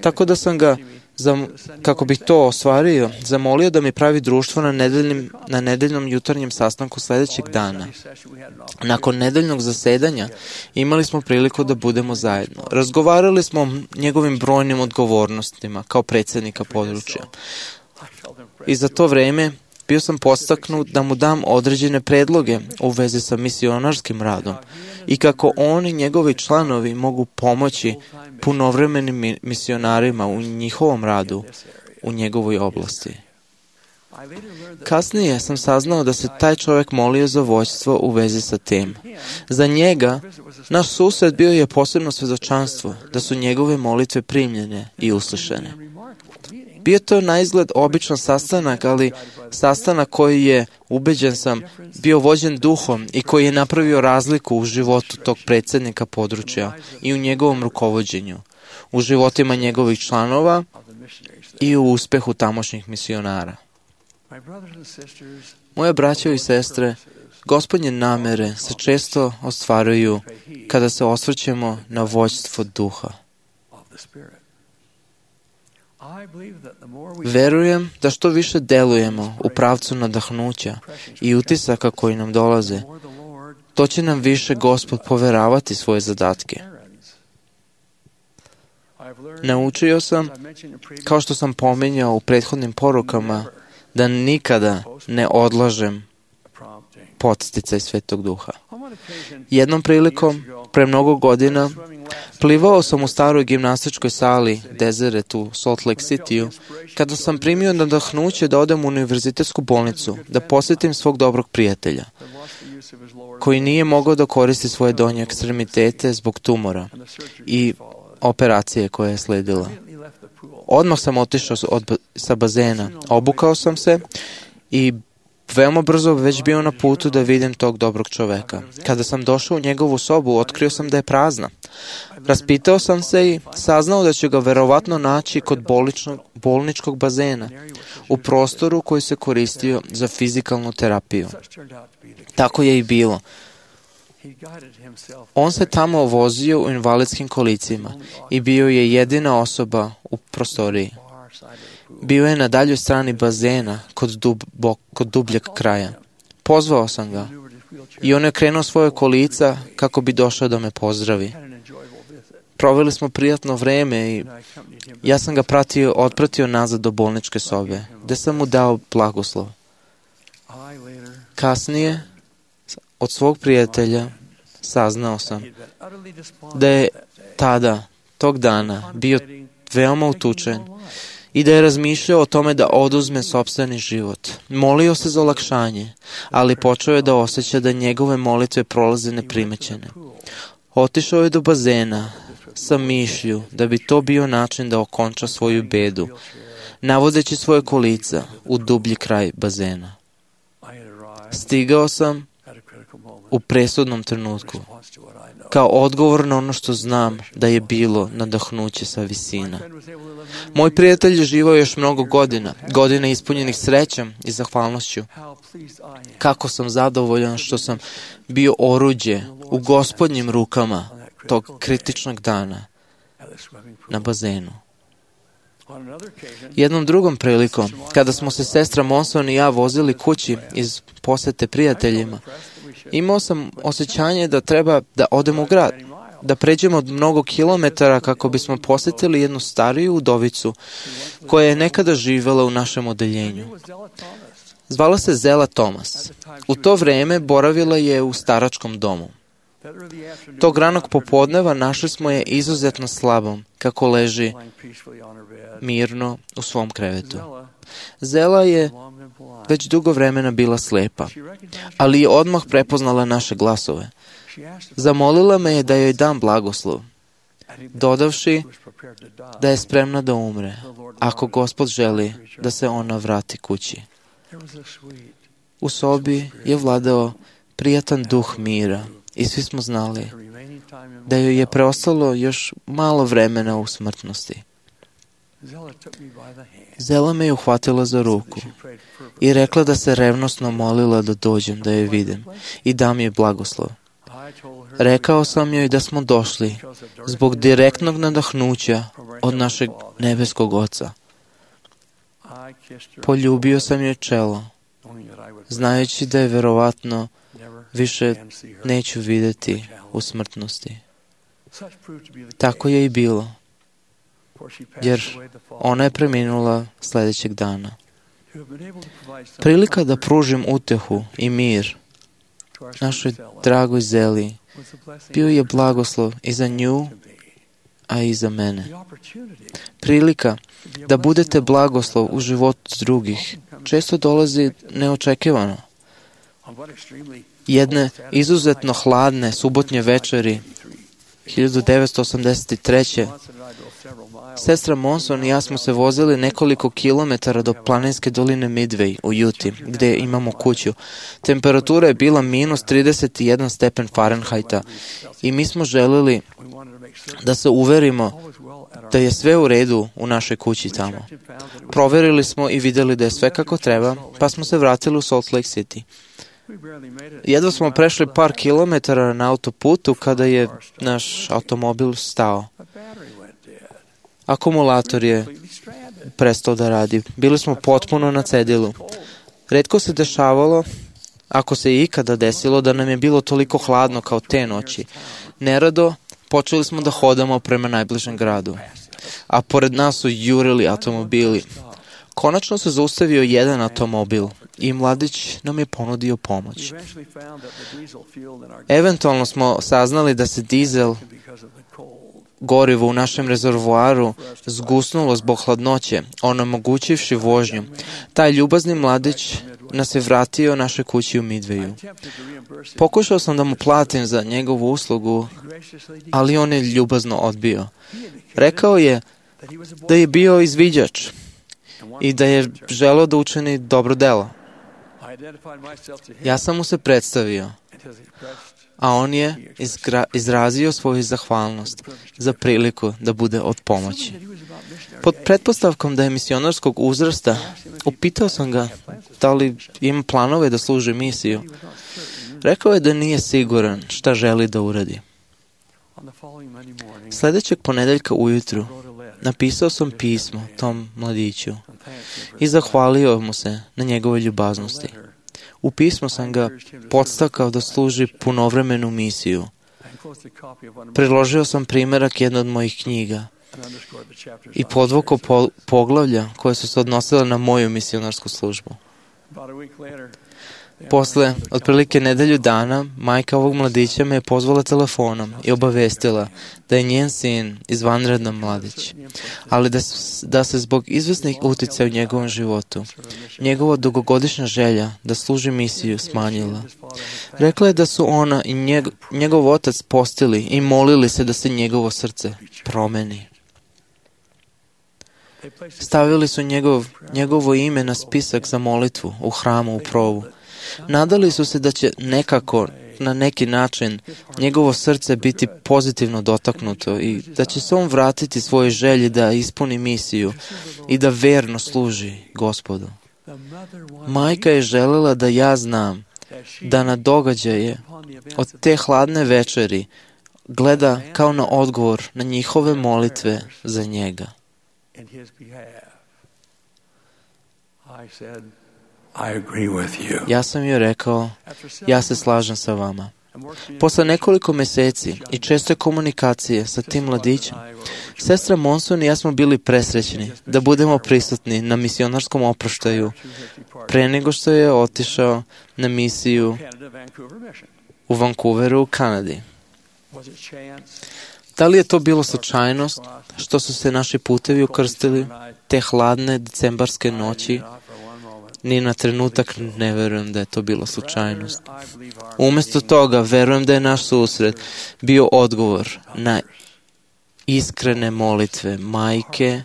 Speaker 9: Tako da sam ga, kako bih to ostvario, zamolio da mi pravi društvo na nedeljnom jutarnjem sastanku sljedećeg dana. Nakon nedeljnog zasedanja imali smo priliku da budemo zajedno. Razgovarali smo o njegovim brojnim odgovornostima kao predsjednika područja. I za to vreme bio sam podstaknut da mu dam određene predloge u vezi sa misionarskim radom i kako on i njegovi članovi mogu pomoći punovremenim misionarima u njihovom radu u njegovoj oblasti. Kasnije sam saznao da se taj čovjek molio za vođstvo u vezi sa tim. Za njega, naš sused bio je posebno svjedočanstvo da su njegove molitve primljene i uslišene. Bio to na izgled običan sastanak, ali sastanak koji je, ubeđen sam, bio vođen duhom i koji je napravio razliku u životu tog predsjednika područja i u njegovom rukovođenju, u životima njegovih članova i u uspjehu tamošnjih misionara. Moje braćo i sestre, Gospodnje namere se često ostvaruju kada se osvrćemo na vođstvo duha. Verujem da što više delujemo u pravcu nadahnuća i utisaka koji nam dolaze, to će nam više Gospod poveravati svoje zadatke. Naučio sam, kao što sam pominjao u prethodnim porukama, da nikada ne odlažem podsticaj Svetog Duha. Jednom prilikom, pre mnogo godina, plivao sam u staroj gimnastičkoj sali Deseret u Salt Lake City-u, kada sam primio nadahnuće da odem u univerzitetsku bolnicu, da posjetim svog dobrog prijatelja, koji nije mogao da koristi svoje donje ekstremitete zbog tumora i operacije koja je sledila. Odmah sam otišao sa bazena, obukao sam se i veoma brzo već bio na putu da vidim tog dobrog čoveka. Kada sam došao u njegovu sobu, otkrio sam da je prazna. Raspitao sam se i saznao da će ga verovatno naći kod bolničkog bazena, u prostoru koji se koristio za fizikalnu terapiju. Tako je i bilo. On se tamo vozio u invalidskim kolicima i bio je jedina osoba u prostoriji. Bio je na daljoj strani bazena kod dubljeg kraja. Pozvao sam ga i on je krenuo svoje kolica kako bi došao da me pozdravi. Proveli smo prijatno vreme i ja sam ga otpratio nazad do bolničke sobe, gde sam mu dao blagoslov. Kasnije, od svog prijatelja, saznao sam da je tog dana, bio veoma utučen i da je razmišljao o tome da oduzme sopstveni život. Molio se za olakšanje, ali počeo je da osjeća da njegove molitve prolaze neprimećene. Otišao je do bazena sa mišlju da bi to bio način da okonča svoju bedu, navodeći svoje kolica u dublji kraj bazena. Stigao sam u presudnom trenutku, kao odgovor na ono što znam da je bilo nadahnuće sa visina. Moj prijatelj je živao još mnogo godina ispunjenih srećom i zahvalnošću. Kako sam zadovoljan što sam bio oruđe u Gospodnjim rukama tog kritičnog dana na bazenu. Jednom drugom prilikom, kada smo se sestra Monson i ja vozili kući iz posete prijateljima, imao sam osjećanje da treba da odem u grad, da pređemo mnogo kilometara kako bismo posjetili jednu stariju udovicu koja je nekada živjela u našem odeljenju. Zvala se Zela Thomas. U to vreme boravila je u staračkom domu. Tog ranog popodneva našli smo je izuzetno slabom, kako leži mirno u svom krevetu. Zela je već dugo vremena bila slepa, ali je odmah prepoznala naše glasove. Zamolila me je da joj dam blagoslov, dodavši da je spremna da umre, ako Gospod želi da se ona vrati kući. U sobi je vladao prijatan duh mira i svi smo znali da joj je preostalo još malo vremena u smrtnosti. Zela me je uhvatila za ruku i rekla da se revnosno molila da dođem da joj vidim i dam joj blagoslov. Rekao sam joj da smo došli zbog direktnog nadahnuća od našeg nebeskog Oca. Poljubio sam joj čelo, znajući da je verovatno više neću vidjeti u smrtnosti. Tako je i bilo, jer ona je preminula sljedećeg dana. Prilika da pružim utehu i mir našoj dragoj Zeli bio je blagoslov i za nju, a i za mene. Prilika da budete blagoslov u životu drugih često dolazi neočekivano. Jedne izuzetno hladne subotnje večeri 1983. Sestra Monson i ja smo se vozili nekoliko kilometara do planinske doline Midway u Juti, gdje imamo kuću. Temperatura je bila minus 31 stepen Fahrenheita i mi smo želili da se uverimo da je sve u redu u našoj kući tamo. Proverili smo i vidjeli da je sve kako treba, pa smo se vratili u Salt Lake City. Jedva smo prešli par kilometara na autoputu kada je naš automobil stao. Akumulator je prestao da radi. Bili smo potpuno na cedilu. Retko se dešavalo, ako se i ikada desilo, da nam je bilo toliko hladno kao te noći. Nerado počeli smo da hodamo prema najbližem gradu, a pored nas su jurili automobili. Konačno se zaustavio jedan automobil i mladić nam je ponudio pomoć. Eventualno smo saznali da se dizel gorivo u našem rezervoaru zgusnulo zbog hladnoće, onemogućivši vožnju. Taj ljubazni mladić nas je vratio našoj kući u Midwayu. Pokušao sam da mu platim za njegovu uslugu, ali on je ljubazno odbio. Rekao je da je bio izviđač i da je želeo da učini dobro delo. Ja sam mu se predstavio, a on je izrazio svoju zahvalnost za priliku da bude od pomoći. Pod pretpostavkom da je misionarskog uzrasta, upitao sam ga da li ima planove da služi misiju. Rekao je da nije siguran šta želi da uradi. Sljedećeg ponedeljka ujutru napisao sam pismo tom mladiću i zahvalio mu se na njegovoj ljubaznosti. U pismu sam ga podstakao da služi punovremenu misiju. Priložio sam primjerak jedne od mojih knjiga i podvukao poglavlja koje su se odnosile na moju misionarsku službu. Posle otprilike nedelju dana, majka ovog mladića me je pozvala telefonom i obavestila da je njen sin izvanredan mladić, ali da se zbog izvesnih uticaja u njegovom životu, njegova dugogodišnja želja da služi misiju smanjila. Rekla je da su ona i njegov otac postili i molili se da se njegovo srce promeni. Stavili su njegovo ime na spisak za molitvu u hramu u Provu. Nadali su se da će nekako, na neki način, njegovo srce biti pozitivno dotaknuto i da će se on vratiti svojoj želji da ispuni misiju i da verno služi Gospodu. Majka je željela da ja znam da na događaje od te hladne večeri gleda kao na odgovor na njihove molitve za njega. Ja sam joj rekao, ja se slažem sa vama. Posle nekoliko mjeseci i česte komunikacije sa tim mladićem, sestra Monson i ja smo bili presrećni da budemo prisutni na misionarskom oproštaju pre nego što je otišao na misiju u Vancouveru u Kanadi. Da li je to bilo slučajnost što su se naši putevi ukrstili te hladne decembarske noći? Ni na trenutak ne verujem da je to bila slučajnost. Umjesto toga, verujem da je naš susret bio odgovor na iskrene molitve majke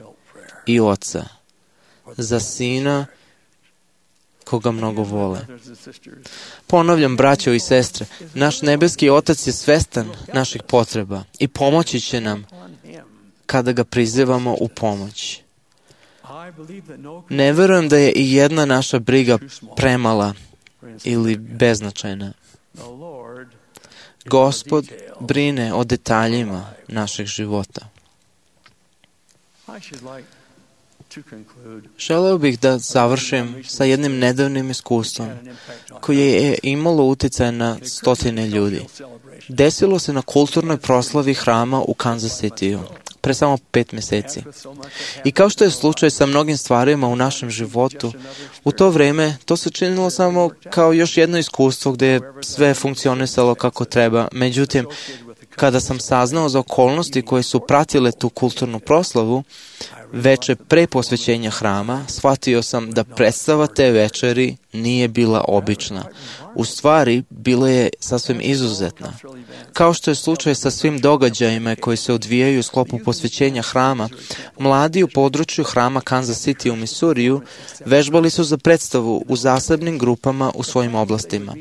Speaker 9: i oca za sina koga mnogo vole. Ponavljam, braćo i sestre, naš nebeski Otac je svestan naših potreba i pomoći će nam kada ga prizivamo u pomoć. Ne verujem da je i jedna naša briga premala ili beznačajna. Gospod brine o detaljima našeg života. Želeo bih da završim sa jednim nedavnim iskustvom koje je imalo utjecaj na stotine ljudi. Desilo se na kulturnoj proslavi hrama u Kansas Cityu pre samo 5 mjeseci. I kao što je slučaj sa mnogim stvarima u našem životu, u to vrijeme to se činilo samo kao još jedno iskustvo gdje je sve funkcionisalo kako treba. Međutim, kada sam saznao za okolnosti koje su pratile tu kulturnu proslavu, veče pre posvećenja hrama, shvatio sam da predstava te večeri nije bila obična. U stvari, bila je sasvim izuzetna. Kao što je slučaj sa svim događajima koji se odvijaju u sklopu posvećenja hrama, mladi u području hrama Kansas City u Missouriju vežbali su za predstavu u zasebnim grupama u svojim oblastima.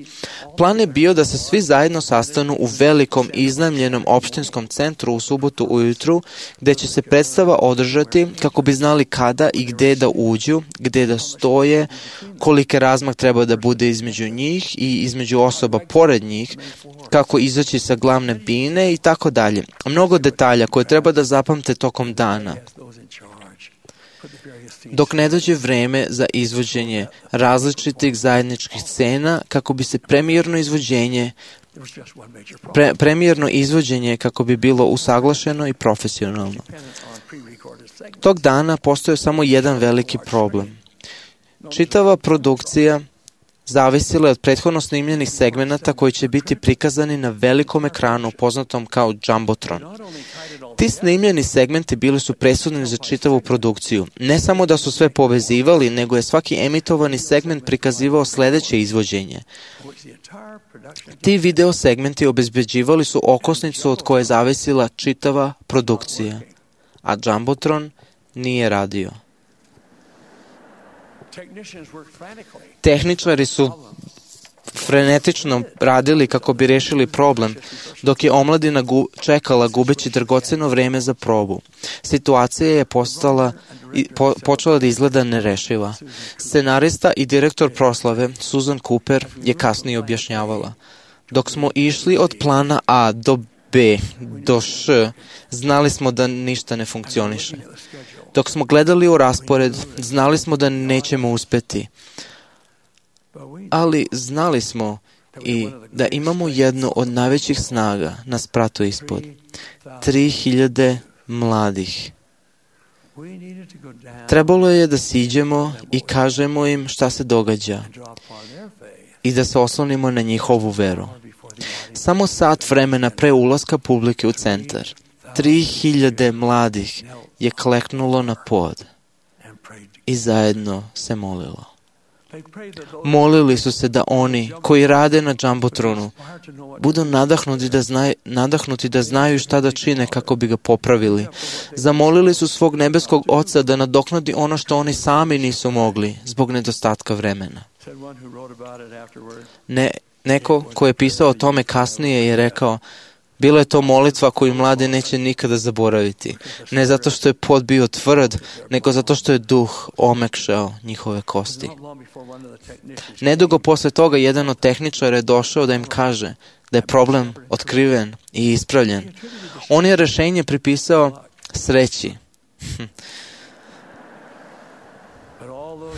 Speaker 9: Plan je bio da se svi zajedno sastanu u velikom iznajmljenom opštinskom centru u subotu ujutru, gdje će se predstava održati kako bi znali kada i gdje da uđu, gdje da stoje, koliki razmak treba da bude između njih i između osoba pored njih, kako izaći sa glavne bine i tako dalje. Mnogo detalja koje treba da zapamte tokom dana. Dok ne dođe vreme za izvođenje različitih zajedničkih scena kako bi se premijerno izvođenje kako bi bilo usaglašeno i profesionalno. Tog dana postoji samo jedan veliki problem. Čitava produkcija zavisila je od prethodno snimljenih segmenata koji će biti prikazani na velikom ekranu poznatom kao Jumbotron. Ti snimljeni segmenti bili su presudni za čitavu produkciju. Ne samo da su sve povezivali, nego je svaki emitovani segment prikazivao sljedeće izvođenje. Ti video segmenti obezbeđivali su okosnicu od koje je zavisila čitava produkcija, a Jumbotron nije radio. Tehničari su frenetično radili kako bi rešili problem, dok je omladina čekala gubeći dragoceno vrijeme za probu. Situacija je počela da izgleda nerešiva. Scenarista i direktor proslave, Susan Cooper, je kasnije objašnjavala. Dok smo išli od plana A do B do Š, znali smo da ništa ne funkcioniše. Dok smo gledali u raspored, znali smo da nećemo uspjeti. Ali znali smo i da imamo jednu od najvećih snaga na spratu ispod. 3000 mladih. Trebalo je da siđemo i kažemo im šta se događa i da se oslonimo na njihovu veru. Samo sat vremena pre ulaska publike u centar, 3000 mladih je kleknulo na pod i zajedno se molilo. Molili su se da oni koji rade na Jumbotronu budu nadahnuti da znaju šta da čine kako bi ga popravili. Zamolili su svog nebeskog Oca da nadoknadi ono što oni sami nisu mogli zbog nedostatka vremena. Neko ko je pisao o tome kasnije je rekao: bila je to molitva koju mladi neće nikada zaboraviti. Ne zato što je pod bio tvrd, nego zato što je duh omekšao njihove kosti. Nedugo posle toga jedan od tehničara je došao da im kaže da je problem otkriven i ispravljen. On je rešenje pripisao sreći.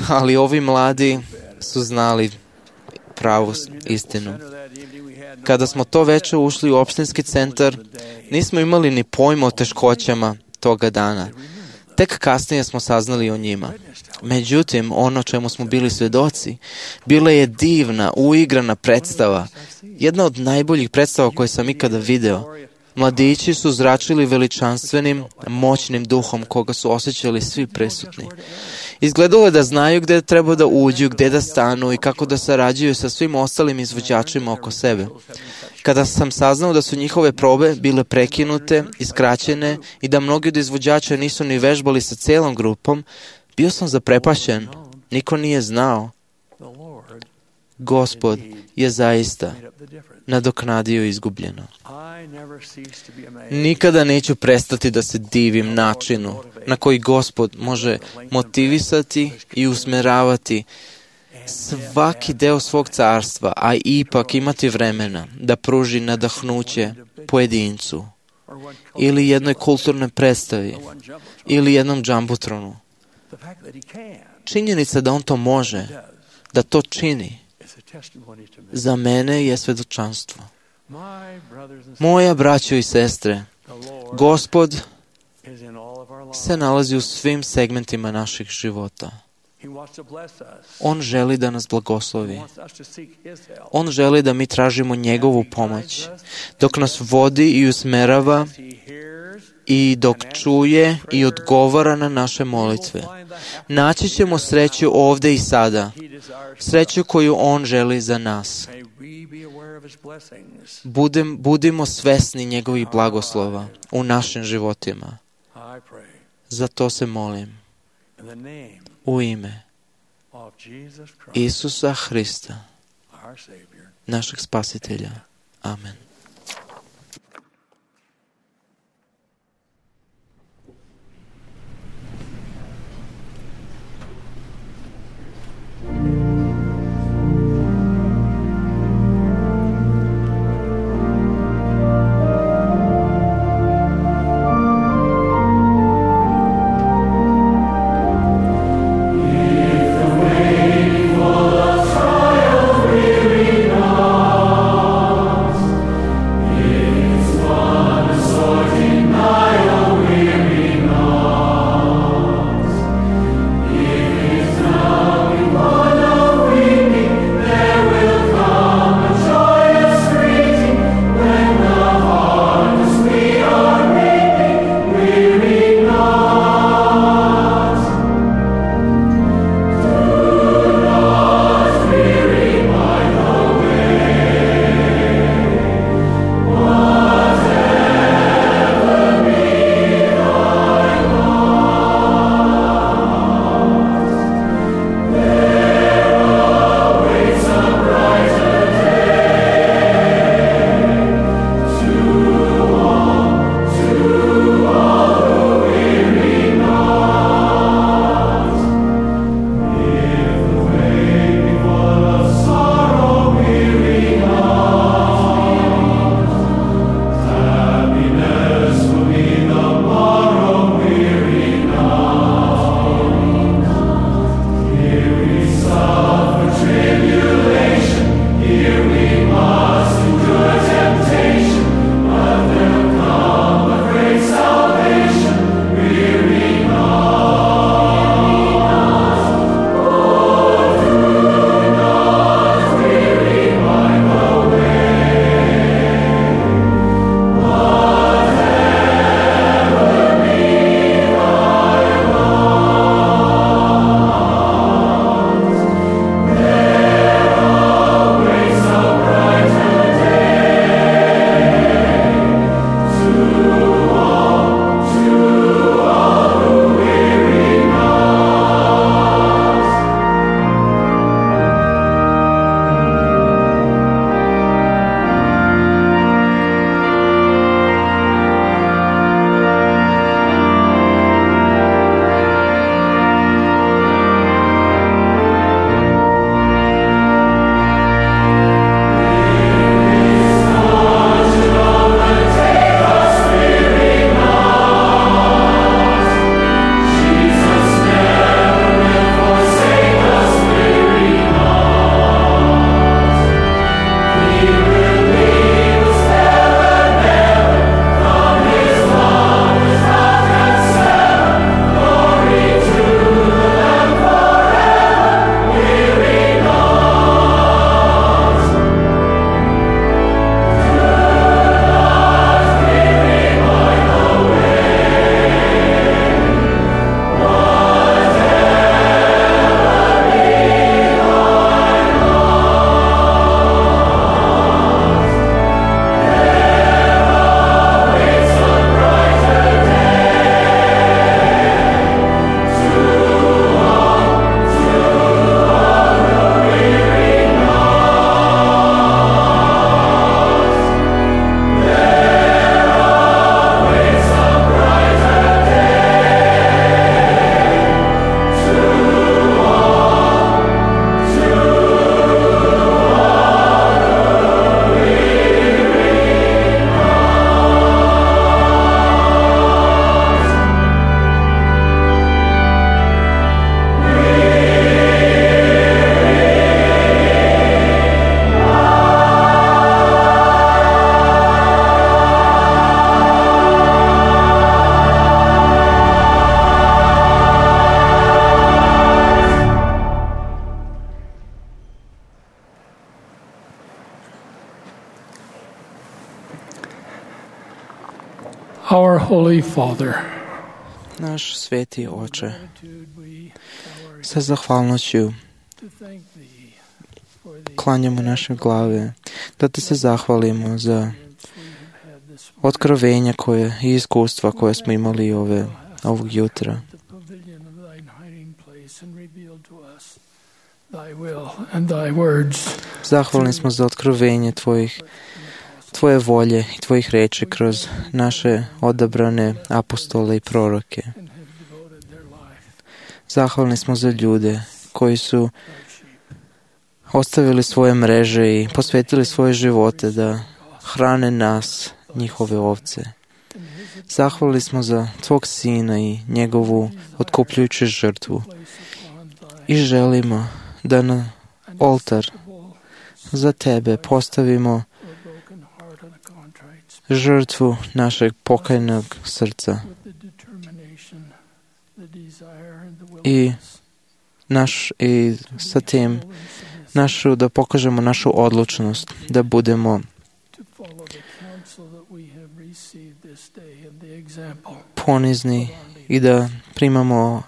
Speaker 9: Ali ovi mladi su znali pravu istinu. Kada smo to veče ušli u opštinski centar, nismo imali ni pojma o teškoćama toga dana. Tek kasnije smo saznali o njima. Međutim, ono čemu smo bili svedoci, bila je divna, uigrana predstava. Jedna od najboljih predstava koje sam ikada video. Mladići su zračili veličanstvenim, moćnim duhom koga su osjećali svi prisutni. Izgledalo je da znaju gde treba da uđu, gde da stanu i kako da sarađuju sa svim ostalim izvođačima oko sebe. Kada sam saznao da su njihove probe bile prekinute i skraćene i da mnogi od izvođača nisu ni vežbali sa celom grupom, bio sam zaprepašćen. Niko nije znao. Gospod je zaista nadoknadio izgubljeno. Nikada neću prestati da se divim načinu na koji Gospod može motivisati i usmeravati svaki deo svog carstva, a ipak imati vremena da pruži nadahnuće pojedincu ili jednoj kulturnoj predstavi ili jednom džambutronu. Činjenica da on to može, da to čini, za mene je svedočanstvo. Moja braćo i sestre, Gospod se nalazi u svim segmentima naših života. On želi da nas blagoslovi. On želi da mi tražimo njegovu pomoć, dok nas vodi i usmerava i dok čuje i odgovara na naše molitve. Naći ćemo sreću ovde i sada, sreću koju on želi za nas. Budimo svesni njegovih blagoslova u našim životima. Za to se molim. U ime Isusa Hrista, našeg Spasitelja. Amen.
Speaker 10: Holy Father,
Speaker 9: Naš sveti Oče, sa zahvalnošću klanjamo naše glave, da ti se zahvalimo za otkrovenja i iskustva koje smo imali ovog jutra. Zahvalni smo za otkrovenje tvoje volje i tvojih reči kroz naše odabrane apostole i proroke. Zahvalni smo za ljude koji su ostavili svoje mreže i posvetili svoje živote da hrane nas, njihove ovce. Zahvalni smo za tvog sina i njegovu otkupljujuću žrtvu i želimo da na oltar za tebe postavimo žrtvu našeg pokajnog srca i sa tim da pokažemo našu odlučnost da budemo ponizni i da primamo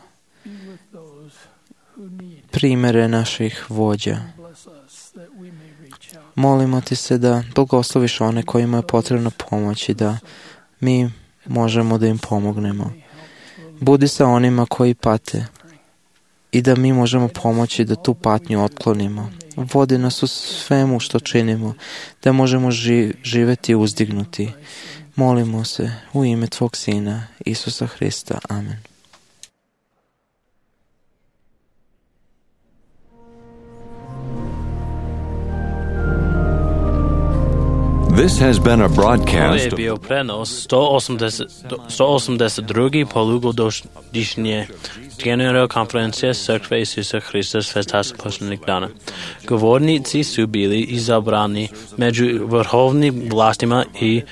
Speaker 9: primere naših vođa. Molimo ti se da blagosloviš one kojima je potrebna pomoć i da mi možemo da im pomognemo. Budi sa onima koji pate i da mi možemo pomoći da tu patnju otklonimo. Vodi nas u svemu što činimo, da možemo živeti uzdignuti. Molimo se u ime tvog Sina, Isusa Hrista. Amen.
Speaker 1: This has been a broadcast.
Speaker 2: Ovo je bio prenos 182. polugodišnje generalne konferencije Crkve Isusa Hrista Svetaca posljednjeg dana. Govornici su bili izabrani među vrhovnim vlastima i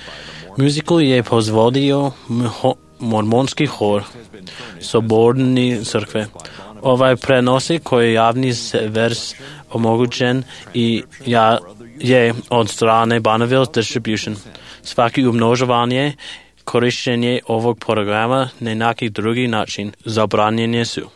Speaker 2: muziku je pozvodio mormonski hor Soborne crkve. Ovaj prenosi koji je javni vers omogućen i je od strane Bonneville Distribution. Svaki umnožavanje, korištenje ovog programa na neki drugi način zabranjene su.